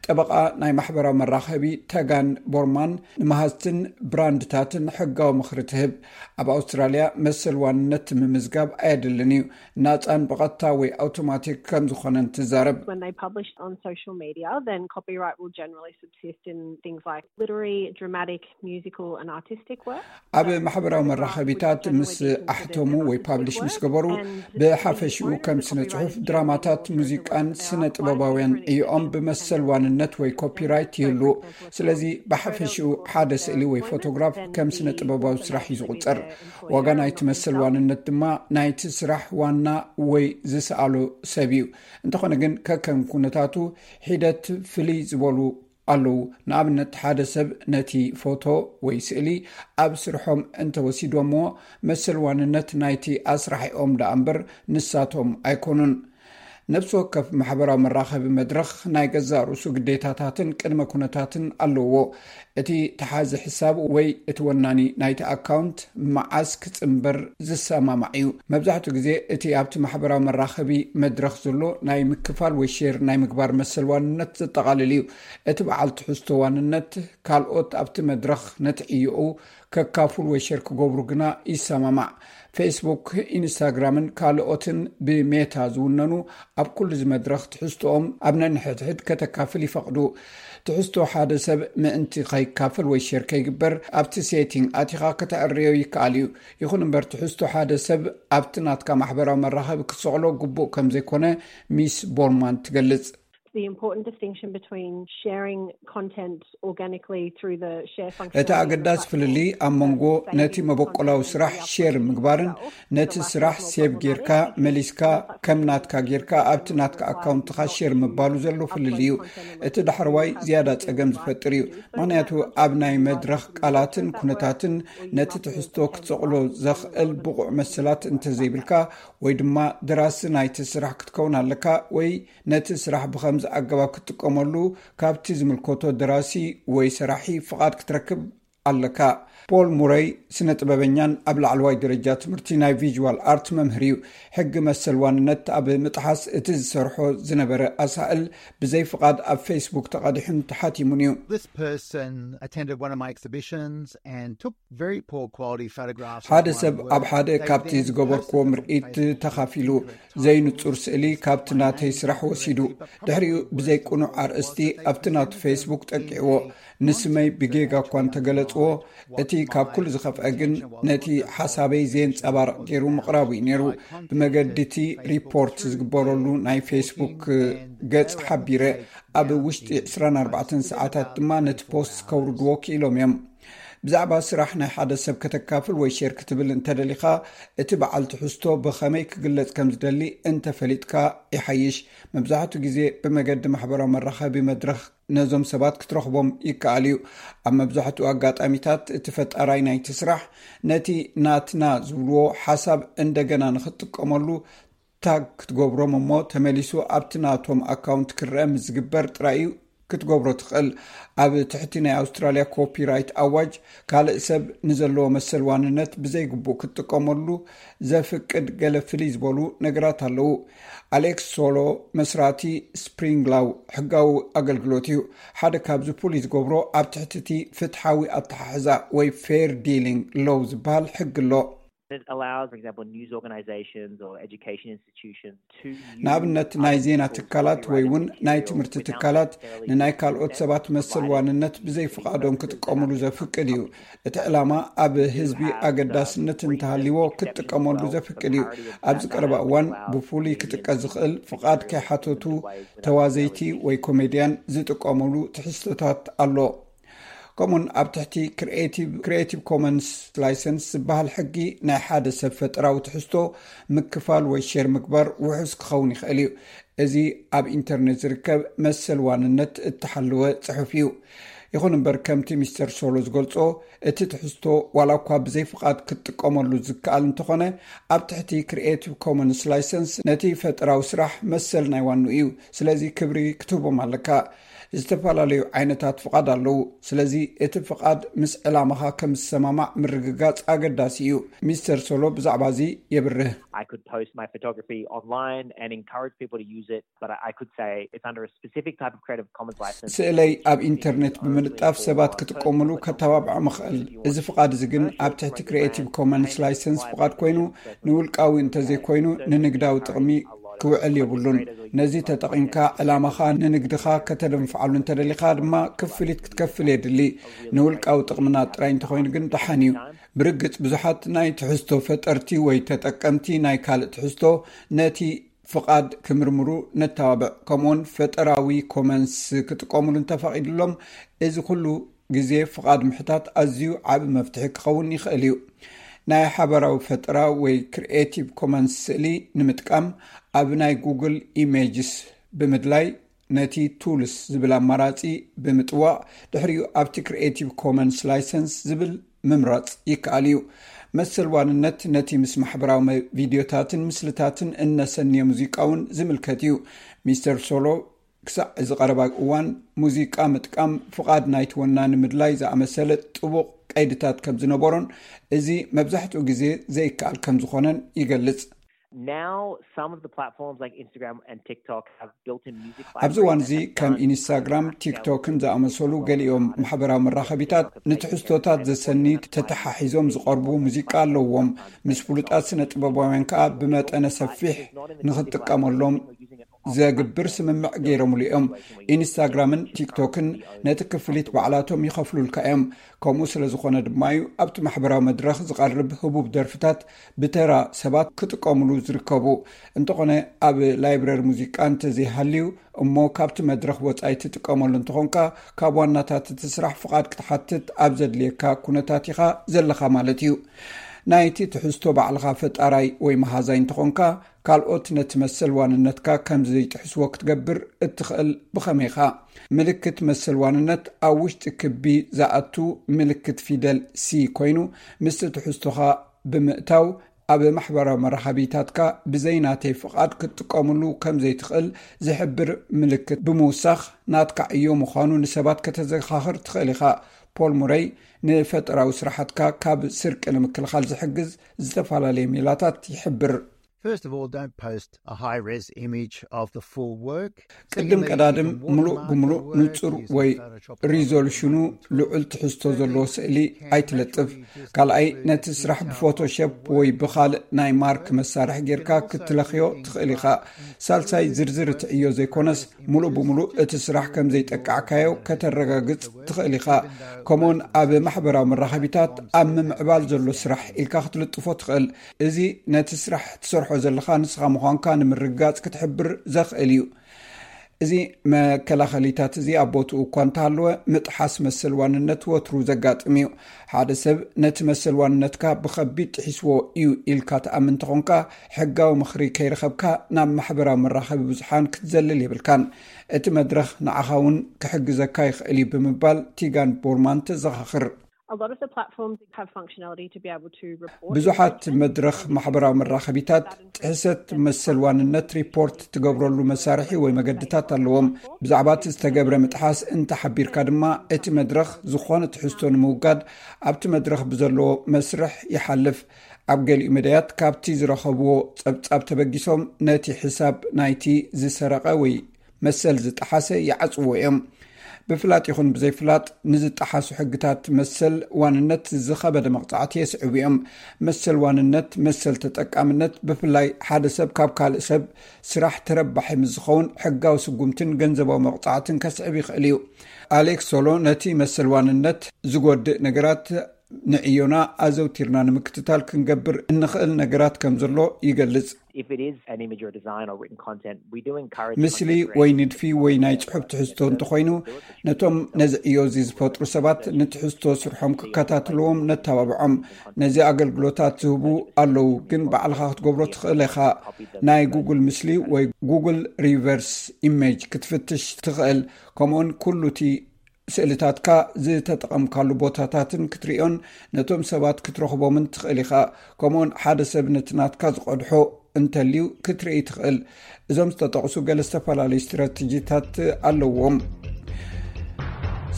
ጠበቓ ናይ ማሕበራዊ መራኸቢ ተጋን ቦርማን ንመሃዝትን ብራንድታትን ሕጋዊ ምኽሪ ትህብ። ኣብ ኣውስትራልያ መሰል ዋንነት ምምዝጋብ ኣየድልን እዩ። ናጻን ብቐጥታ ወይ ኣውቶማቲክ ከም ዝኾነን ትዛረብ። When they publish on social media, then copyright will generally subsist in things like literary, dramatic, musical and artistic work. ኣብ ማሕበራዊ መራኸቢታት ምስ ኣሕተሙ ወይ ፓብሊሽ ምስ ገበሩ፣ ብሓፈሽኡ ከም ስነ ጽሑፍ፣ ድራማታት፣ ሙዚቃን ስነ ጥበባውያን እዮም ብመሰል ዋንነት ወይ ኮፒራይት ይህሉ። ስለዚ ብሓፈሽኡ ሓደ ስእሊ ወይ ፎቶግራፍ ከም ስነ ጥበባዊ ስራሕ እዩ ዝቑጸር። ዋጋ ናይቲ መሰል ዋንነት ድማ ናይቲ ስራሕ ዋና ወይ ዝሰኣሎ ሰብ እዩ። እንተኾነ ግን፣ ከከም ኩነታቱ ሒደት ፍልይ ዝበሉ ኣለዉ። ንኣብነት፣ ሓደ ሰብ ነቲ ፎቶ ወይ ስእሊ ኣብ ስርሖም እንተወሲዶምዎ፣ መሰል ዋንነት ናይቲ ኣስራሒኦም ደኣ እምበር ንሳቶም ኣይኮኑን። ነፍሲ ወከፍ ማሕበራዊ መራኸቢ መድረኽ ናይ ገዛእ ርእሱ ግዴታታትን ቅድመ ኩነታትን ኣለዎ። እቲ ተሓዚ ሕሳብ ወይ እቲ ወናኒ ናይቲ ኣካውንት መዓስ ክጽንበር ዝሰማማዕ እዩ። መብዛሕትኡ ግዜ እቲ ኣብቲ ማሕበራዊ መራኸቢ መድረኽ ዘሎ ናይ ምክፋል ወይ ሼር ናይ ምግባር መሰል ዋንነት ዘጠቓልል እዩ። እቲ በዓል ትሕዝቶ ዋንነት ካልኦት ኣብቲ መድረኽ ነቲ ዕዮኡ ከካፍሉ ወይ ሼር ክገብሩ ግና ይሰማማዕ። ፌስቡክ፣ ኢንስታግራምን ካልኦትን ብሜታ ዝውነኑ ኣብ ኩሉ እዚ መድረኽ ትሕዝቶኦም ኣብ ነንሕድሕድ ከተካፍል ይፈቕዱ። ትሕዝቶ ሓደ ሰብ ምእንቲ ከይካፈል ወይ ሼር ከይግበር ኣብቲ ሴቲንግ ኣቲኻ ከተዕርዮ ይከኣል እዩ። ይኹን እምበር ትሕዝቶ ሓደ ሰብ ኣብቲ ናትካ ማሕበራዊ መራኸቢ ክሰቕሎ ግቡእ ከም ዘይኮነ ሚስ ቦርማን ትገልጽ። The important distinction between sharing content organically through the share function እቲ ኣገዳሲ ፍልልይ ኣብ መንጎ ነቲ መበቆላዊ ስራሕ ሼር ምግባርን ነቲ ስራሕ ሴቭ ጌርካ መሊስካ ከም ናትካ ጌርካ ኣብቲ ናትካ ኣካውንትኻ ሼር ምባሉ ዘሎ ፍልልይ እዩ። እቲ ዳሕረዋይ ዝያዳ ጸገም ዝፈጥር እዩ። ምኽንያቱ ኣብ ናይ መድረኽ ቃላትን ኩነታትን ነቲ ትሕዝቶ ክትሰቕሎ ዘኽእል ብቑዕ መሰላት እንተዘይብልካ፣ ወይ ድማ ደራሲ ናይቲ ስራሕ ክትከውን ኣለካ፣ ወይ ነቲ ስራሕ ብኸምዚ ኣገባብ ክትጥቀመሉ ካብቲ ዝምልከቶ ደራሲ ወይ ሰራሒ ፍቓድ ክትረክብ ኣለካ። ፖል ሙረይ ስነ ጥበበኛን ኣብ ላዕለዋይ ደረጃ ትምህርቲ ናይ ቪዥዋል ኣርት መምህር እዩ። ሕጊ መሰል ዋንነት ኣብ ምጥሓስ እቲ ዝሰርሖ ዝነበረ ኣሳእል ብዘይ ፍቓድ ኣብ ፌስቡክ ተቐዲሑን ተሓቲሙን እዩ። This person attended one of my exhibitions and took very poor quality photographs of ሓደ my ሰብ work. ኣብ ሓደ They ካብቲ then ዝገበርክዎ posted them on ምርኢት Facebook. ተኻፊሉ ዘይንጹር ስእሊ ካብቲ ናተይ ስራሕ ወሲዱ፣ ድሕሪኡ ብዘይ ቅኑዕ ኣርእስቲ ኣብቲ ናቱ ፌስቡክ ጠቂዕዎ። ንስመይ ብጌጋ እኳ እንተገለጽዎ፣ እቲ ካብ ኩሉ ዝኸፍአ ግን ነቲ ሓሳበይ ዘየንጸባርቕ ገይሩ ምቕራቡ እዩ ነይሩ። ብመገዲ እቲ ሪፖርት ዝግበረሉ ናይ ፌስቡክ ገጽ ሓቢረ፣ ኣብ ውሽጢ ዕስራን ኣርባዕተን ሰዓታት ድማ ነቲ ፖስት ከውርድዎ ክኢሎም እዮም። ብዛዕባ ስራሕ ናይ ሓደ ሰብ ከተካፍል ወይ ሼር ክትብል እንተደሊኻ፣ እቲ በዓል ትሕዝቶ ብኸመይ ክግለጽ ከም ዝደሊ እንተፈሊጥካ ይሓይሽ። መብዛሕትኡ ግዜ ብመገዲ ማሕበራዊ መራኸቢ መድረኽ ነዞም ሰባት ክትረኽቦም ይከኣል እዩ። ኣብ መብዛሕትኡ ኣጋጣሚታት እቲ ፈጣራይ ናይቲ ስራሕ ነቲ ናትና ዝብልዎ ሓሳብ እንደገና ንኽትጥቀመሉ ታግ ክትገብሮም እሞ ተመሊሱ ኣብቲ ናቶም ኣካውንት ክረአ ምስ ዝግበር ጥራይ እዩ ክትገብሮ ትኽእል። ኣብ ትሕቲ ናይ ኣውስትራልያ ኮፒራይት ኣዋጅ ካልእ ሰብ ንዘለዎ መሰል ዋንነት ብዘይግቡእ ክትጥቀመሉ ዘፍቅድ ገለ ፍልይ ዝበሉ ነገራት ኣለዉ። ኣሌክስ ሶሎ መስራቲ ስፕሪንግላው ሕጋዊ ኣገልግሎት እዩ። ሓደ ካብዚ ፍሉይ ዝገብሮ ኣብ ትሕቲ እቲ ፍትሓዊ ኣተሓሕዛ ወይ ፌር ዲሊንግ ሎው ዝበሃል ሕጊ ኣሎ። It allows, for example, news organisations or education institutions to use ንኣብነት ናይ ዜና ትካላት ወይ እውን ናይ ትምህርቲ ትካላት ንናይ ካልኦት ሰባት መሰል ዋንነት ብዘይ ፍቓዶም ክጥቀሙሉ ዘፍቅድ እዩ። እቲ ዕላማ ኣብ ህዝቢ ኣገዳስነት እንተሃልዎ ክትጥቀመሉ ዘፍቅድ እዩ። ኣብዚ ቀረባ እዋን ብፍሉይ ክጥቀስ ዝኽእል ፍቓድ ከይሓተቱ ተዋዘይቲ ወይ ኮሜድያን ዝጥቀሙሉ ትሕዝቶታት ኣሎ። ከምኡን ኣብ ትሕቲ ክሪኤቲቭ ኮመንስ ላይሰንስ ዝበሃል ሕጊ ናይ ሓደ ሰብ ፈጠራዊ ትሕዝቶ ምክፋል ወይ ሼር ምግባር ውሑስ ክኸውን ይኽእል እዩ። እዚ ኣብ ኢንተርኔት ዝርከብ መሰል ዋንነት እተሓለወ ጽሑፍ እዩ። ይኹን እምበር ከምቲ ሚስተር ሶሎ ዝገልጾ እቲ ትሕዝቶ ዋላ እኳ ብዘይ ፍቓድ ክትጥቀመሉ ዝከኣል እንተኾነ ኣብ ትሕቲ ክሪኤቲቭ ኮመንስ ላይሰንስ ነቲ ፈጠራዊ ስራሕ መሰል ናይ ዋኑ እዩ። ስለዚ ክብሪ ክትህቦም ኣለካ። ዝተፈላለዩ ዓይነታት ፍቓድ ኣለዉ። ስለዚ እቲ ፍቓድ ምስ ዕላማኻ ከም ዝሰማማዕ ምርግጋጽ ኣገዳሲ እዩ። ሚስተር ሶሎ ብዛዕባ እዚ የብርህ። I could post my photography online and encourage people to use it, but I, I could say it's under a specific type of Creative Commons license. ስእለይ ኣብ ኢንተርኔት ብምልጣፍ ሰባት ክጥቀሙሉ ከተባብዖም እኽእል። እዚ ፍቓድ እዚ ግን ኣብ ትሕቲ ክሪኤቲቭ ኮመንስ ላይሰንስ ፍቓድ ኮይኑ ንውልቃዊ እንተዘይኮይኑ ንንግዳዊ ጥቕሚ ክውዕል የብሉን። ነዚ ተጠቒምካ ዕላማኻ ንንግድኻ ከተደንፍዓሉ እንተደሊኻ ድማ ክፍሊት ክትከፍል የድሊ። ንውልቃዊ ጥቕምና ጥራይ እንተኾይኑ ግን ደሓን እዩ። ብርግጽ ብዙሓት ናይ ትሕዝቶ ፈጠርቲ ወይ ተጠቀምቲ ናይ ካልእ ትሕዝቶ ነቲ ፍቓድ ክምርምሩ ነተባብዕ። ከምኡውን ፈጠራዊ ኮመንስ ክጥቀሙሉ እንተፈቒድሎም እዚ ኩሉ ግዜ ፍቓድ ምሕታት ኣዝዩ ዓቢ መፍትሒ ክኸውን ይኽእል እዩ። ናይ ሓበራዊ ፈጠራ ወይ ክሪኤቲቭ ኮመንስ ስእሊ ንምጥቃም ኣብ ናይ ጉግል ኢሜጅስ ብምድላይ ነቲ ቱልስ ዝብል ኣማራጺ ብምጥዋቕ፣ ድሕሪኡ ኣብቲ ክሪኤቲቭ ኮመንስ ላይሰንስ ዝብል ምምራጽ ይከኣል እዩ። መሰል ዋንነት ነቲ ምስ ማሕበራዊ መ- ቪድዮታትን ምስልታትን እነሰንየ ሙዚቃ እውን ዝምልከት እዩ። ሚስተር ሶሎ ክሳዕ እዚ ቀረባ እዋን ሙዚቃ ምጥቃም ፍቓድ ናይቲ ወናኒ ምድላይ ዝኣመሰለ ጥቡቕ ቀይድታት ከም ዝነበሮን፣ እዚ መብዛሕትኡ ግዜ ዘይከኣል ከም ዝኾነን ይገልጽ። Now, some of the platforms like Instagram and TikTok have built-in music ኣብዚ እዋን እዚ ከም ኢንስታግራም፣ ቲክቶክን ዝኣመሰሉ ገሊኦም ማሕበራዊ መራኸቢታት ንትሕዝቶታት ዘሰኒ ተተሓሒዞም ዝቐርቡ ሙዚቃ ኣለዎም። ምስ ፍሉጣት ስነ ጥበባውያን ከኣ ብመጠነ ሰፊሕ ንኽጥቀመሎም ዘግብር ስምምዕ ገይሮምሉ እዮም። ኢንስታግራምን ቲክቶክን ነቲ ክፍሊት ባዕላቶም ይኸፍሉልካ እዮም። ከምኡ ስለ ዝኾነ ድማ እዩ ኣብቲ ማሕበራዊ መድረኽ ዝቐርብ ህቡብ ደርፍታት ብተራ ሰባት ክጥቀሙሉ ዝርከቡ። እንተኾነ ኣብ ላይብረሪ ሙዚቃ እንተዘይሃልዩ እሞ ካብቲ መድረኽ ወጻኢ ትጥቀመሉ እንተኾንካ ካብ ዋናታት እቲ ስራሕ ፍቓድ ክትሓትት ኣብ ዘድልየካ ኩነታት ኢኻ ዘለኻ ማለት እዩ። ናይቲ ትሕዝቶ ባዕልኻ ፈጣራይ ወይ መሃዛይ እንተኾንካ ካልኦት ነቲ መሰል ዋንነትካ ከም ዘይጥሕስዎ ክትገብር እትኽእል ብኸመይ ኢኻ? ምልክት መሰል ዋንነት ኣብ ውሽጢ ክቢ ዝኣቱ ምልክት ፊደል ሲ ኮይኑ ምስቲ ትሕዝቶኻ ብምእታው ኣብ ማሕበራዊ መራኸቢታትካ ብዘይ ናተይ ፍቓድ ክትጥቀምሉ ከም ዘይትኽእል ዝሕብር ምልክት ብምውሳኽ ናትካ ዕዮ ምዃኑ ንሰባት ከተዘኻኽር ትኽእል ኢኻ። ፖል ሙረይ ንፈጠራዊ ስራሓትካ ካብ ስርቂ ንምክልኻል ዝሕግዝ ዝተፈላለየ ሜላታት ይሕብር። First of all, don't post a high res image of the full work. ቅድም ቀዳድም ምሉእ ብምሉእ ንጹር ወይ ሪዞሉሽኑ ልዑል ትሕዝቶ ዘለዎ ስእሊ ኣይትለጥፍ። ካልኣይ፣ ነቲ ስራሕ ብፎቶሾፕ ወይ ብኻልእ ናይ ማርክ መሳርሒ ጌርካ ክትለኽዮ ትኽእል ኢኻ። ሳልሳይ፣ ዝርዝር እቲ ዕዮ ዘይኮነስ ምሉእ ብምሉእ እቲ ስራሕ ከም ዘይጠቃዕካዮ ከተረጋግጽ ትኽእል ኢኻ። ከምኡውን ኣብ ማሕበራዊ መራኸቢታት ኣብ ምምዕባል ዘሎ ስራሕ ኢልካ ክትልጥፎ ትኽእል። እዚ ነቲ ስራሕ ትሰርሖ ዘለኻ ንስኻ ምዃንካ ንምርግጋጽ ክትሕብር ዘኽእል እዩ። እዚ መከላኸሊታት እዚ ኣብ ቦትኡ እኳ እንተሃለወ ምጥሓስ መሰል ዋንነት ወትሩ ዘጋጥም እዩ። ሓደ ሰብ ነቲ መሰል ዋንነትካ ብኸቢድ ጥሒስዎ እዩ ኢልካ ትኣምን እንተኾንካ ሕጋዊ ምኽሪ ከይረኸብካ ናብ ማሕበራዊ መራኸቢ ብዙሓን ክትዘልል የብልካን። እቲ መድረኽ ንዓኻ እውን ክሕግዘካ ይኽእል እዩ ብምባል ቲጋን ቦርማን ተዘኻኽር። A lot of the platforms have functionality to be able to report. ብዙሓት መድረኽ ማሕበራዊ መራኸቢታት ጥሕሰት መሰል ዋንነት ሪፖርት ትገብረሉ መሳርሒ ወይ መገድታት ኣለዎም። ብዛዕባ እቲ ዝተገብረ ምጥሓስ እንተሓቢርካ ድማ እቲ መድረኽ ዝኾነ ትሕዝቶ ንምውጋድ ኣብቲ መድረኽ ብዘለዎ መስርሕ ይሓልፍ። ኣብ ገሊኡ መዳያት ካብቲ ዝረኸብዎ ጸብጻብ ተበጊሶም ነቲ ሕሳብ ናይቲ ዝሰረቐ ወይ መሰል ዝጠሓሰ ይዓጽዎ እዮም። ብፍላጥ ይኹን ብዘይፍላጥ ንዝጠሓሱ ሕግታት መሰል ዋንነት ዝኸበደ መቕጻዕቲ የስዕቡ እዮም። መሰል ዋንነት፣ መሰል ተጠቃምነት፣ ብፍላይ ሓደ ሰብ ካብ ካልእ ሰብ ስራሕ ተረባሒ ምስ ዝኸውን ሕጋዊ ስጉምትን ገንዘባዊ መቕጻዕትን ከስዕብ ይኽእል እዩ። ኣሌክስ ሶሎ ነቲ መሰል ዋንነት ዝጎድእ ነገራት ንዕዮና ኣዘውቲርና ንምክትታል ክንገብር እንኽእል ነገራት ከም ዘሎ ይገልጽ። If it is an image or design or written content, we do encourage ምስሊ ወይ ንድፊ ወይ ናይ ጽሑፍ ትሕዝቶ እንተኾይኑ ነቶም ነዚ ዕዮ እዚ ዝፈጥሩ ሰባት ንትሕዝቶ ስርሖም ክከታትልዎም ነተባብዖም። ነዚ ኣገልግሎታት ዝህቡ ኣለዉ፣ ግን ባዕልኻ ክትገብሮ ትኽእል ኢኻ። ናይ ጉግል ምስሊ ወይ ጉግል ሪቨርስ ኢሜጅ ክትፍትሽ ትኽእል። ከምኡውን ኩሉ እቲ ስእልታትካ ዝተጠቐምካሉ ቦታታትን ክትርእዮን ነቶም ሰባት ክትረኽቦምን ትኽእል ኢኻ። ከምኡውን ሓደ ሰብ ነቲ ናትካ ዝቐድሖ እንተልዩ ክትርኢ ትኽእል። እዞም ዝተጠቕሱ ገለ ዝተፈላለዩ ስትራተጂታት ኣለዎም።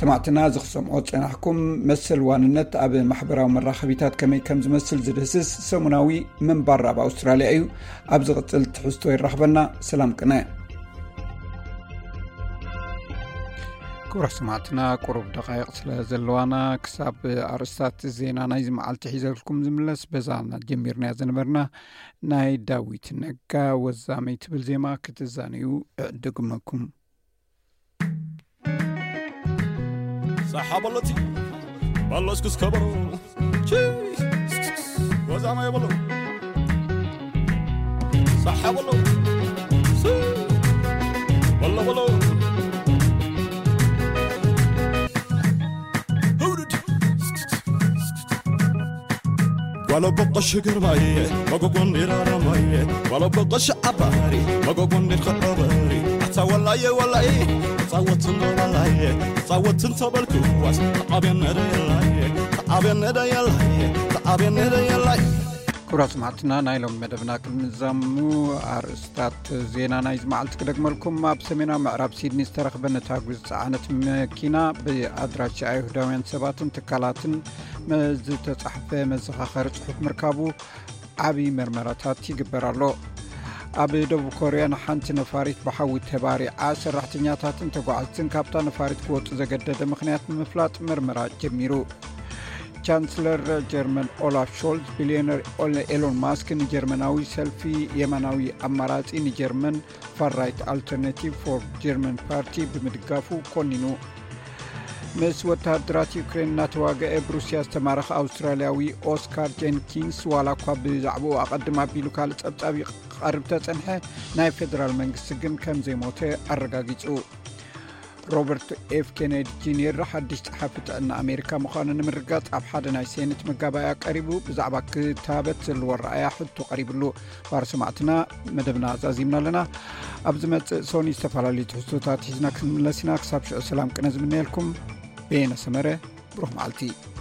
ሰማዕትና፣ እዚ ክሰምዖ ዝጸናሕኩም መሰል ዋንነት ኣብ ማሕበራዊ መራኸቢታት ከመይ ከም ዝመስል ዝድህስስ ሰሙናዊ ምንባር ኣብ ኣውስትራልያ እዩ። ኣብ ዝቕጽል ትሕዝቶ ይራኽበና። ሰላም ቅነ። ክቡራት ሰማዕትና፣ ቁሩብ ደቓይቕ ስለ ዘለዋና ክሳብ ኣርእስታት ዜና ናይዚ መዓልቲ ሒዘልኩም ዝምለስ በዛ ጀሚርናያ ዝነበርና ናይ ዳዊት ነጋ ወዛመይ ትብል ዜማ ክትዛነዩ እዕድግመኩም። ሳሓ በሎ እቲ በሎ እስኩስ ከበሮ ወዛማ የበሎ ሳሓ በሎ በሎ በሎ ጓሎ በቆሽ ግርማይ መጎጎን ዲራራማይ ጓሎ በቆሽ ዓባሪ መጎጎን ዲር ኸበበሪ ተወላየ ወላየ ጻወትን ተወላየ ጻወትን ተበልኩ ዋስ ተዓብየነ ደየላየ ተዓብየነ ደየላየ ተዓብየነ ደየላየ። ክቡራት ሰማዕትና፣ ናይ ሎም መደብና ቅድሚ ዛሙ ኣርእስታት ዜና ናይዚ መዓልቲ ክደግመልኩም። ኣብ ሰሜናዊ ምዕራብ ሲድኒ ዝተረኽበ ነታጒ ዝጸዓነት መኪና ብኣድራሻ ኣይሁዳውያን ሰባትን ትካላትን ዝተጻሕፈ መዘኻኸሪ ጽሑፍ ምርካቡ ዓቢ መርመራታት ይግበር ኣሎ። ኣብ ደቡብ ኮርያ ንሓንቲ ነፋሪት ብሓዊ ተባሪዓ ሰራሕተኛታትን ተጓዓዝትን ካብታ ነፋሪት ክወጹ ዘገደደ ምኽንያት ንምፍላጥ መርመራ ጀሚሩ። ቻንስለር ጀርመን ኦላፍ ሾልዝ፣ ቢልዮነር ኤሎን ማስክ ንጀርመናዊ ሰልፊ የማናዊ ኣማራጺ ንጀርመን፣ ፋር ራይት ኣልተርናቲቭ ፎር ጀርመን ፓርቲ፣ ብምድጋፉ ኮኒኑ። ምስ ወተሃደራት ዩክሬን እናተዋግአ ብሩስያ ዝተማረኸ ኣውስትራልያዊ ኦስካር ጀንኪንስ ዋላ እኳ ብዛዕባኡ ኣቐድም ኣቢሉ ካልእ ጸብጻብ ክቐርብ ተጸንሐ፣ ናይ ፌደራል መንግስቲ ግን ከም ዘይሞተ ኣረጋጊጹ። ሮበርት ኤፍ ኬነዲ ጁኒየር ሓድሽ ጸሓፊ ጥዕና ኣሜሪካ ምዃኑ ንምርጋጽ ኣብ ሓደ ናይ ሴኔት መጋባእያ ቀሪቡ ብዛዕባ ክታበት ዘለዎ ኣረኣእያ ሕቶ ቀሪብሉ። ባር ሰማዕትና፣ መደብና ዛዚምና ኣለና። ኣብ ዝመጽእ ሶኒ ዝተፈላለዩ ትሕዝቶታት ሒዝና ክንምለስ ኢና። ክሳብ ሽዑ ሰላም ቅነ ዝምነየልኩም። በየነ ሰመረ። ብሩኽ መዓልቲ።